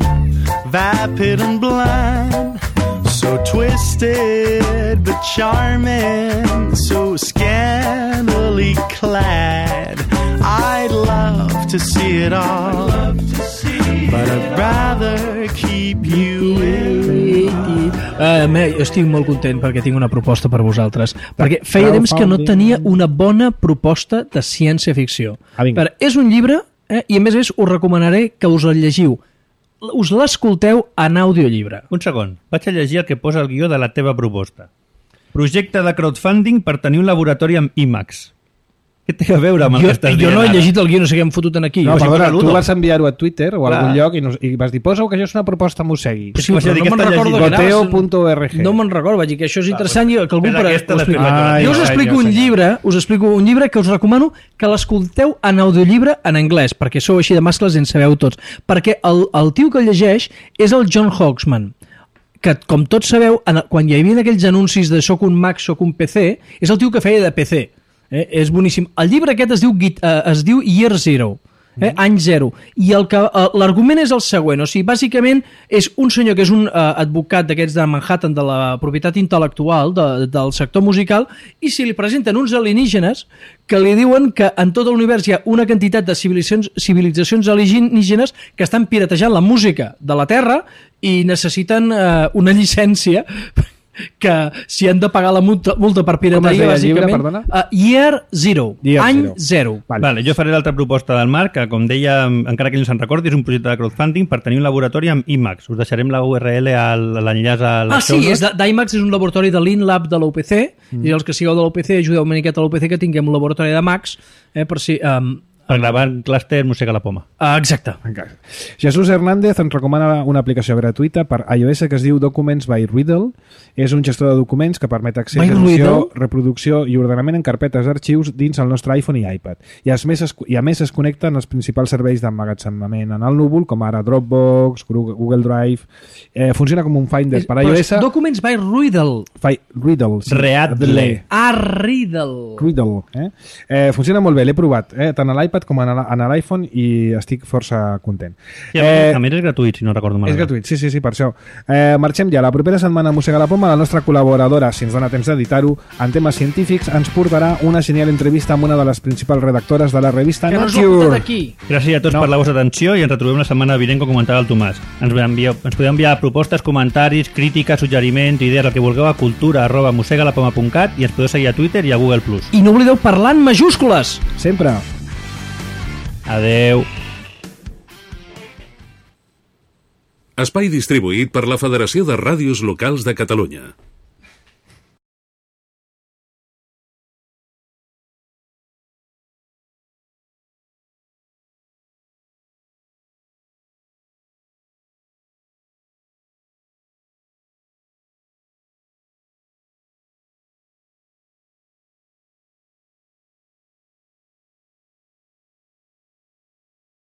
vapid and blind. So twisted but charming, so scantily clad. I'd love to see it all, but I'd rather keep you in. Uh, me, jo estic molt content perquè tinc una proposta per vosaltres. Perquè feia temps que no Crowdfunding. tenia una bona proposta de ciència-ficció. Ah, vinga. Però és un llibre, eh, i a més a més us recomanaré que us el llegiu. Us l'escolteu en audiollibre. Un segon. Vaig a llegir el que posa el guió de la teva proposta. Projecte de crowdfunding per tenir un laboratori amb IMAX. Què té a veure amb el Jo, que estàs jo dient no he ara? llegit el guió, no sé què hem fotut en aquí. No, Jo- perdona, posa tu l'Udo. vas enviar-ho a Twitter o a Clar. algun lloc i, nos, i vas dir, posa que això és una proposta mossegui. Sí, Vas a però dir no que me'n està recordo llegint. que anaves- Goteo punt org. No me'n recordo, vaig dir que això és interessant i que algú... Espera, per- aquesta ho l'explico explico. jo. Ai, Jo us ai, explico jo un sé. llibre, us explico un llibre que us recomano que l'escolteu en audiollibre en anglès, perquè sou així de mascles i en sabeu tots. Perquè el, el tio que el llegeix és el John Hawksman, que, com tots sabeu, en, quan hi havia aquells anuncis de soc un Mac, soc un P C, és el tio que feia de P C. Eh? És boníssim. El llibre aquest es diu, Git- eh, es diu Year Zero, eh? any zero. I el que, eh, l'argument és el següent. O sigui, bàsicament és un senyor que és un eh, advocat d'aquests de Manhattan, de la propietat intel·lectual, de, del sector musical, i si li presenten uns alienígenes que li diuen que en tot l'univers hi ha una quantitat de civilitzacions, civilitzacions alienígenes que estan piratejant la música de la Terra i necessiten eh, una llicència que si han de pagar la multa, multa per Com es pirateria, deia el llibre, bàsicament... perdona? Uh, year Zero, Year any Zero. zero. Vale. Vale, jo faré l'altra proposta del Marc, que com deia, encara que ell no se'n recordi, és un projecte de crowdfunding per tenir un laboratori amb IMAX. Us deixarem la U R L, al- l'enllaç a Ah, les sí, show és de- d'IMAX és un laboratori de l'InLab de l'U P C, mm. i els que sigueu de l'U P C ajudeu una miqueta a l'U P C que tinguem un laboratori de Max, eh, per si... Um, per gravar clúster Mossega la Poma. uh, exacte. Encara. Jesús Hernández ens recomana una aplicació gratuïta per iOS que es diu Documents by Riddle. És un gestor de documents que permet accés, By edició, Riddle? reproducció i ordenament en carpetes d'arxius dins el nostre iPhone i iPad. I a més es, i a més es connecten els principals serveis d'emmagatzemament en el núvol, com ara Dropbox, Google Drive. Eh, funciona com un Finder per Però iOS. és Documents by Riddle. Fi, Riddle. Readle. Ah, Riddle. Riddle. Eh? Eh, funciona molt bé, l'he provat, eh? tant a l'iPad l'iPad com en l'iPhone i estic força content. Sí, eh, a més és gratuït, si no recordo malament. És gratuït, sí, sí, sí, per això. Eh, marxem ja. La propera setmana a Mossega la Poma, la nostra col·laboradora, si ens dona temps d'editar-ho, en temes científics, ens portarà una genial entrevista amb una de les principals redactores de la revista que Nature. No aquí. Gràcies a tots no. per la vostra atenció i ens retrobem la setmana vinent, com comentava el Tomàs. Ens, envieu, ens podeu enviar propostes, comentaris, crítiques, suggeriments, idees, el que vulgueu a cultura arroba mosegalapoma punt cat i ens podeu seguir a Twitter i a Google plus. I no oblideu parlar en majúscules. Sempre. Adeu. Espai distribuït per la Federació de Ràdios Locals de Catalunya.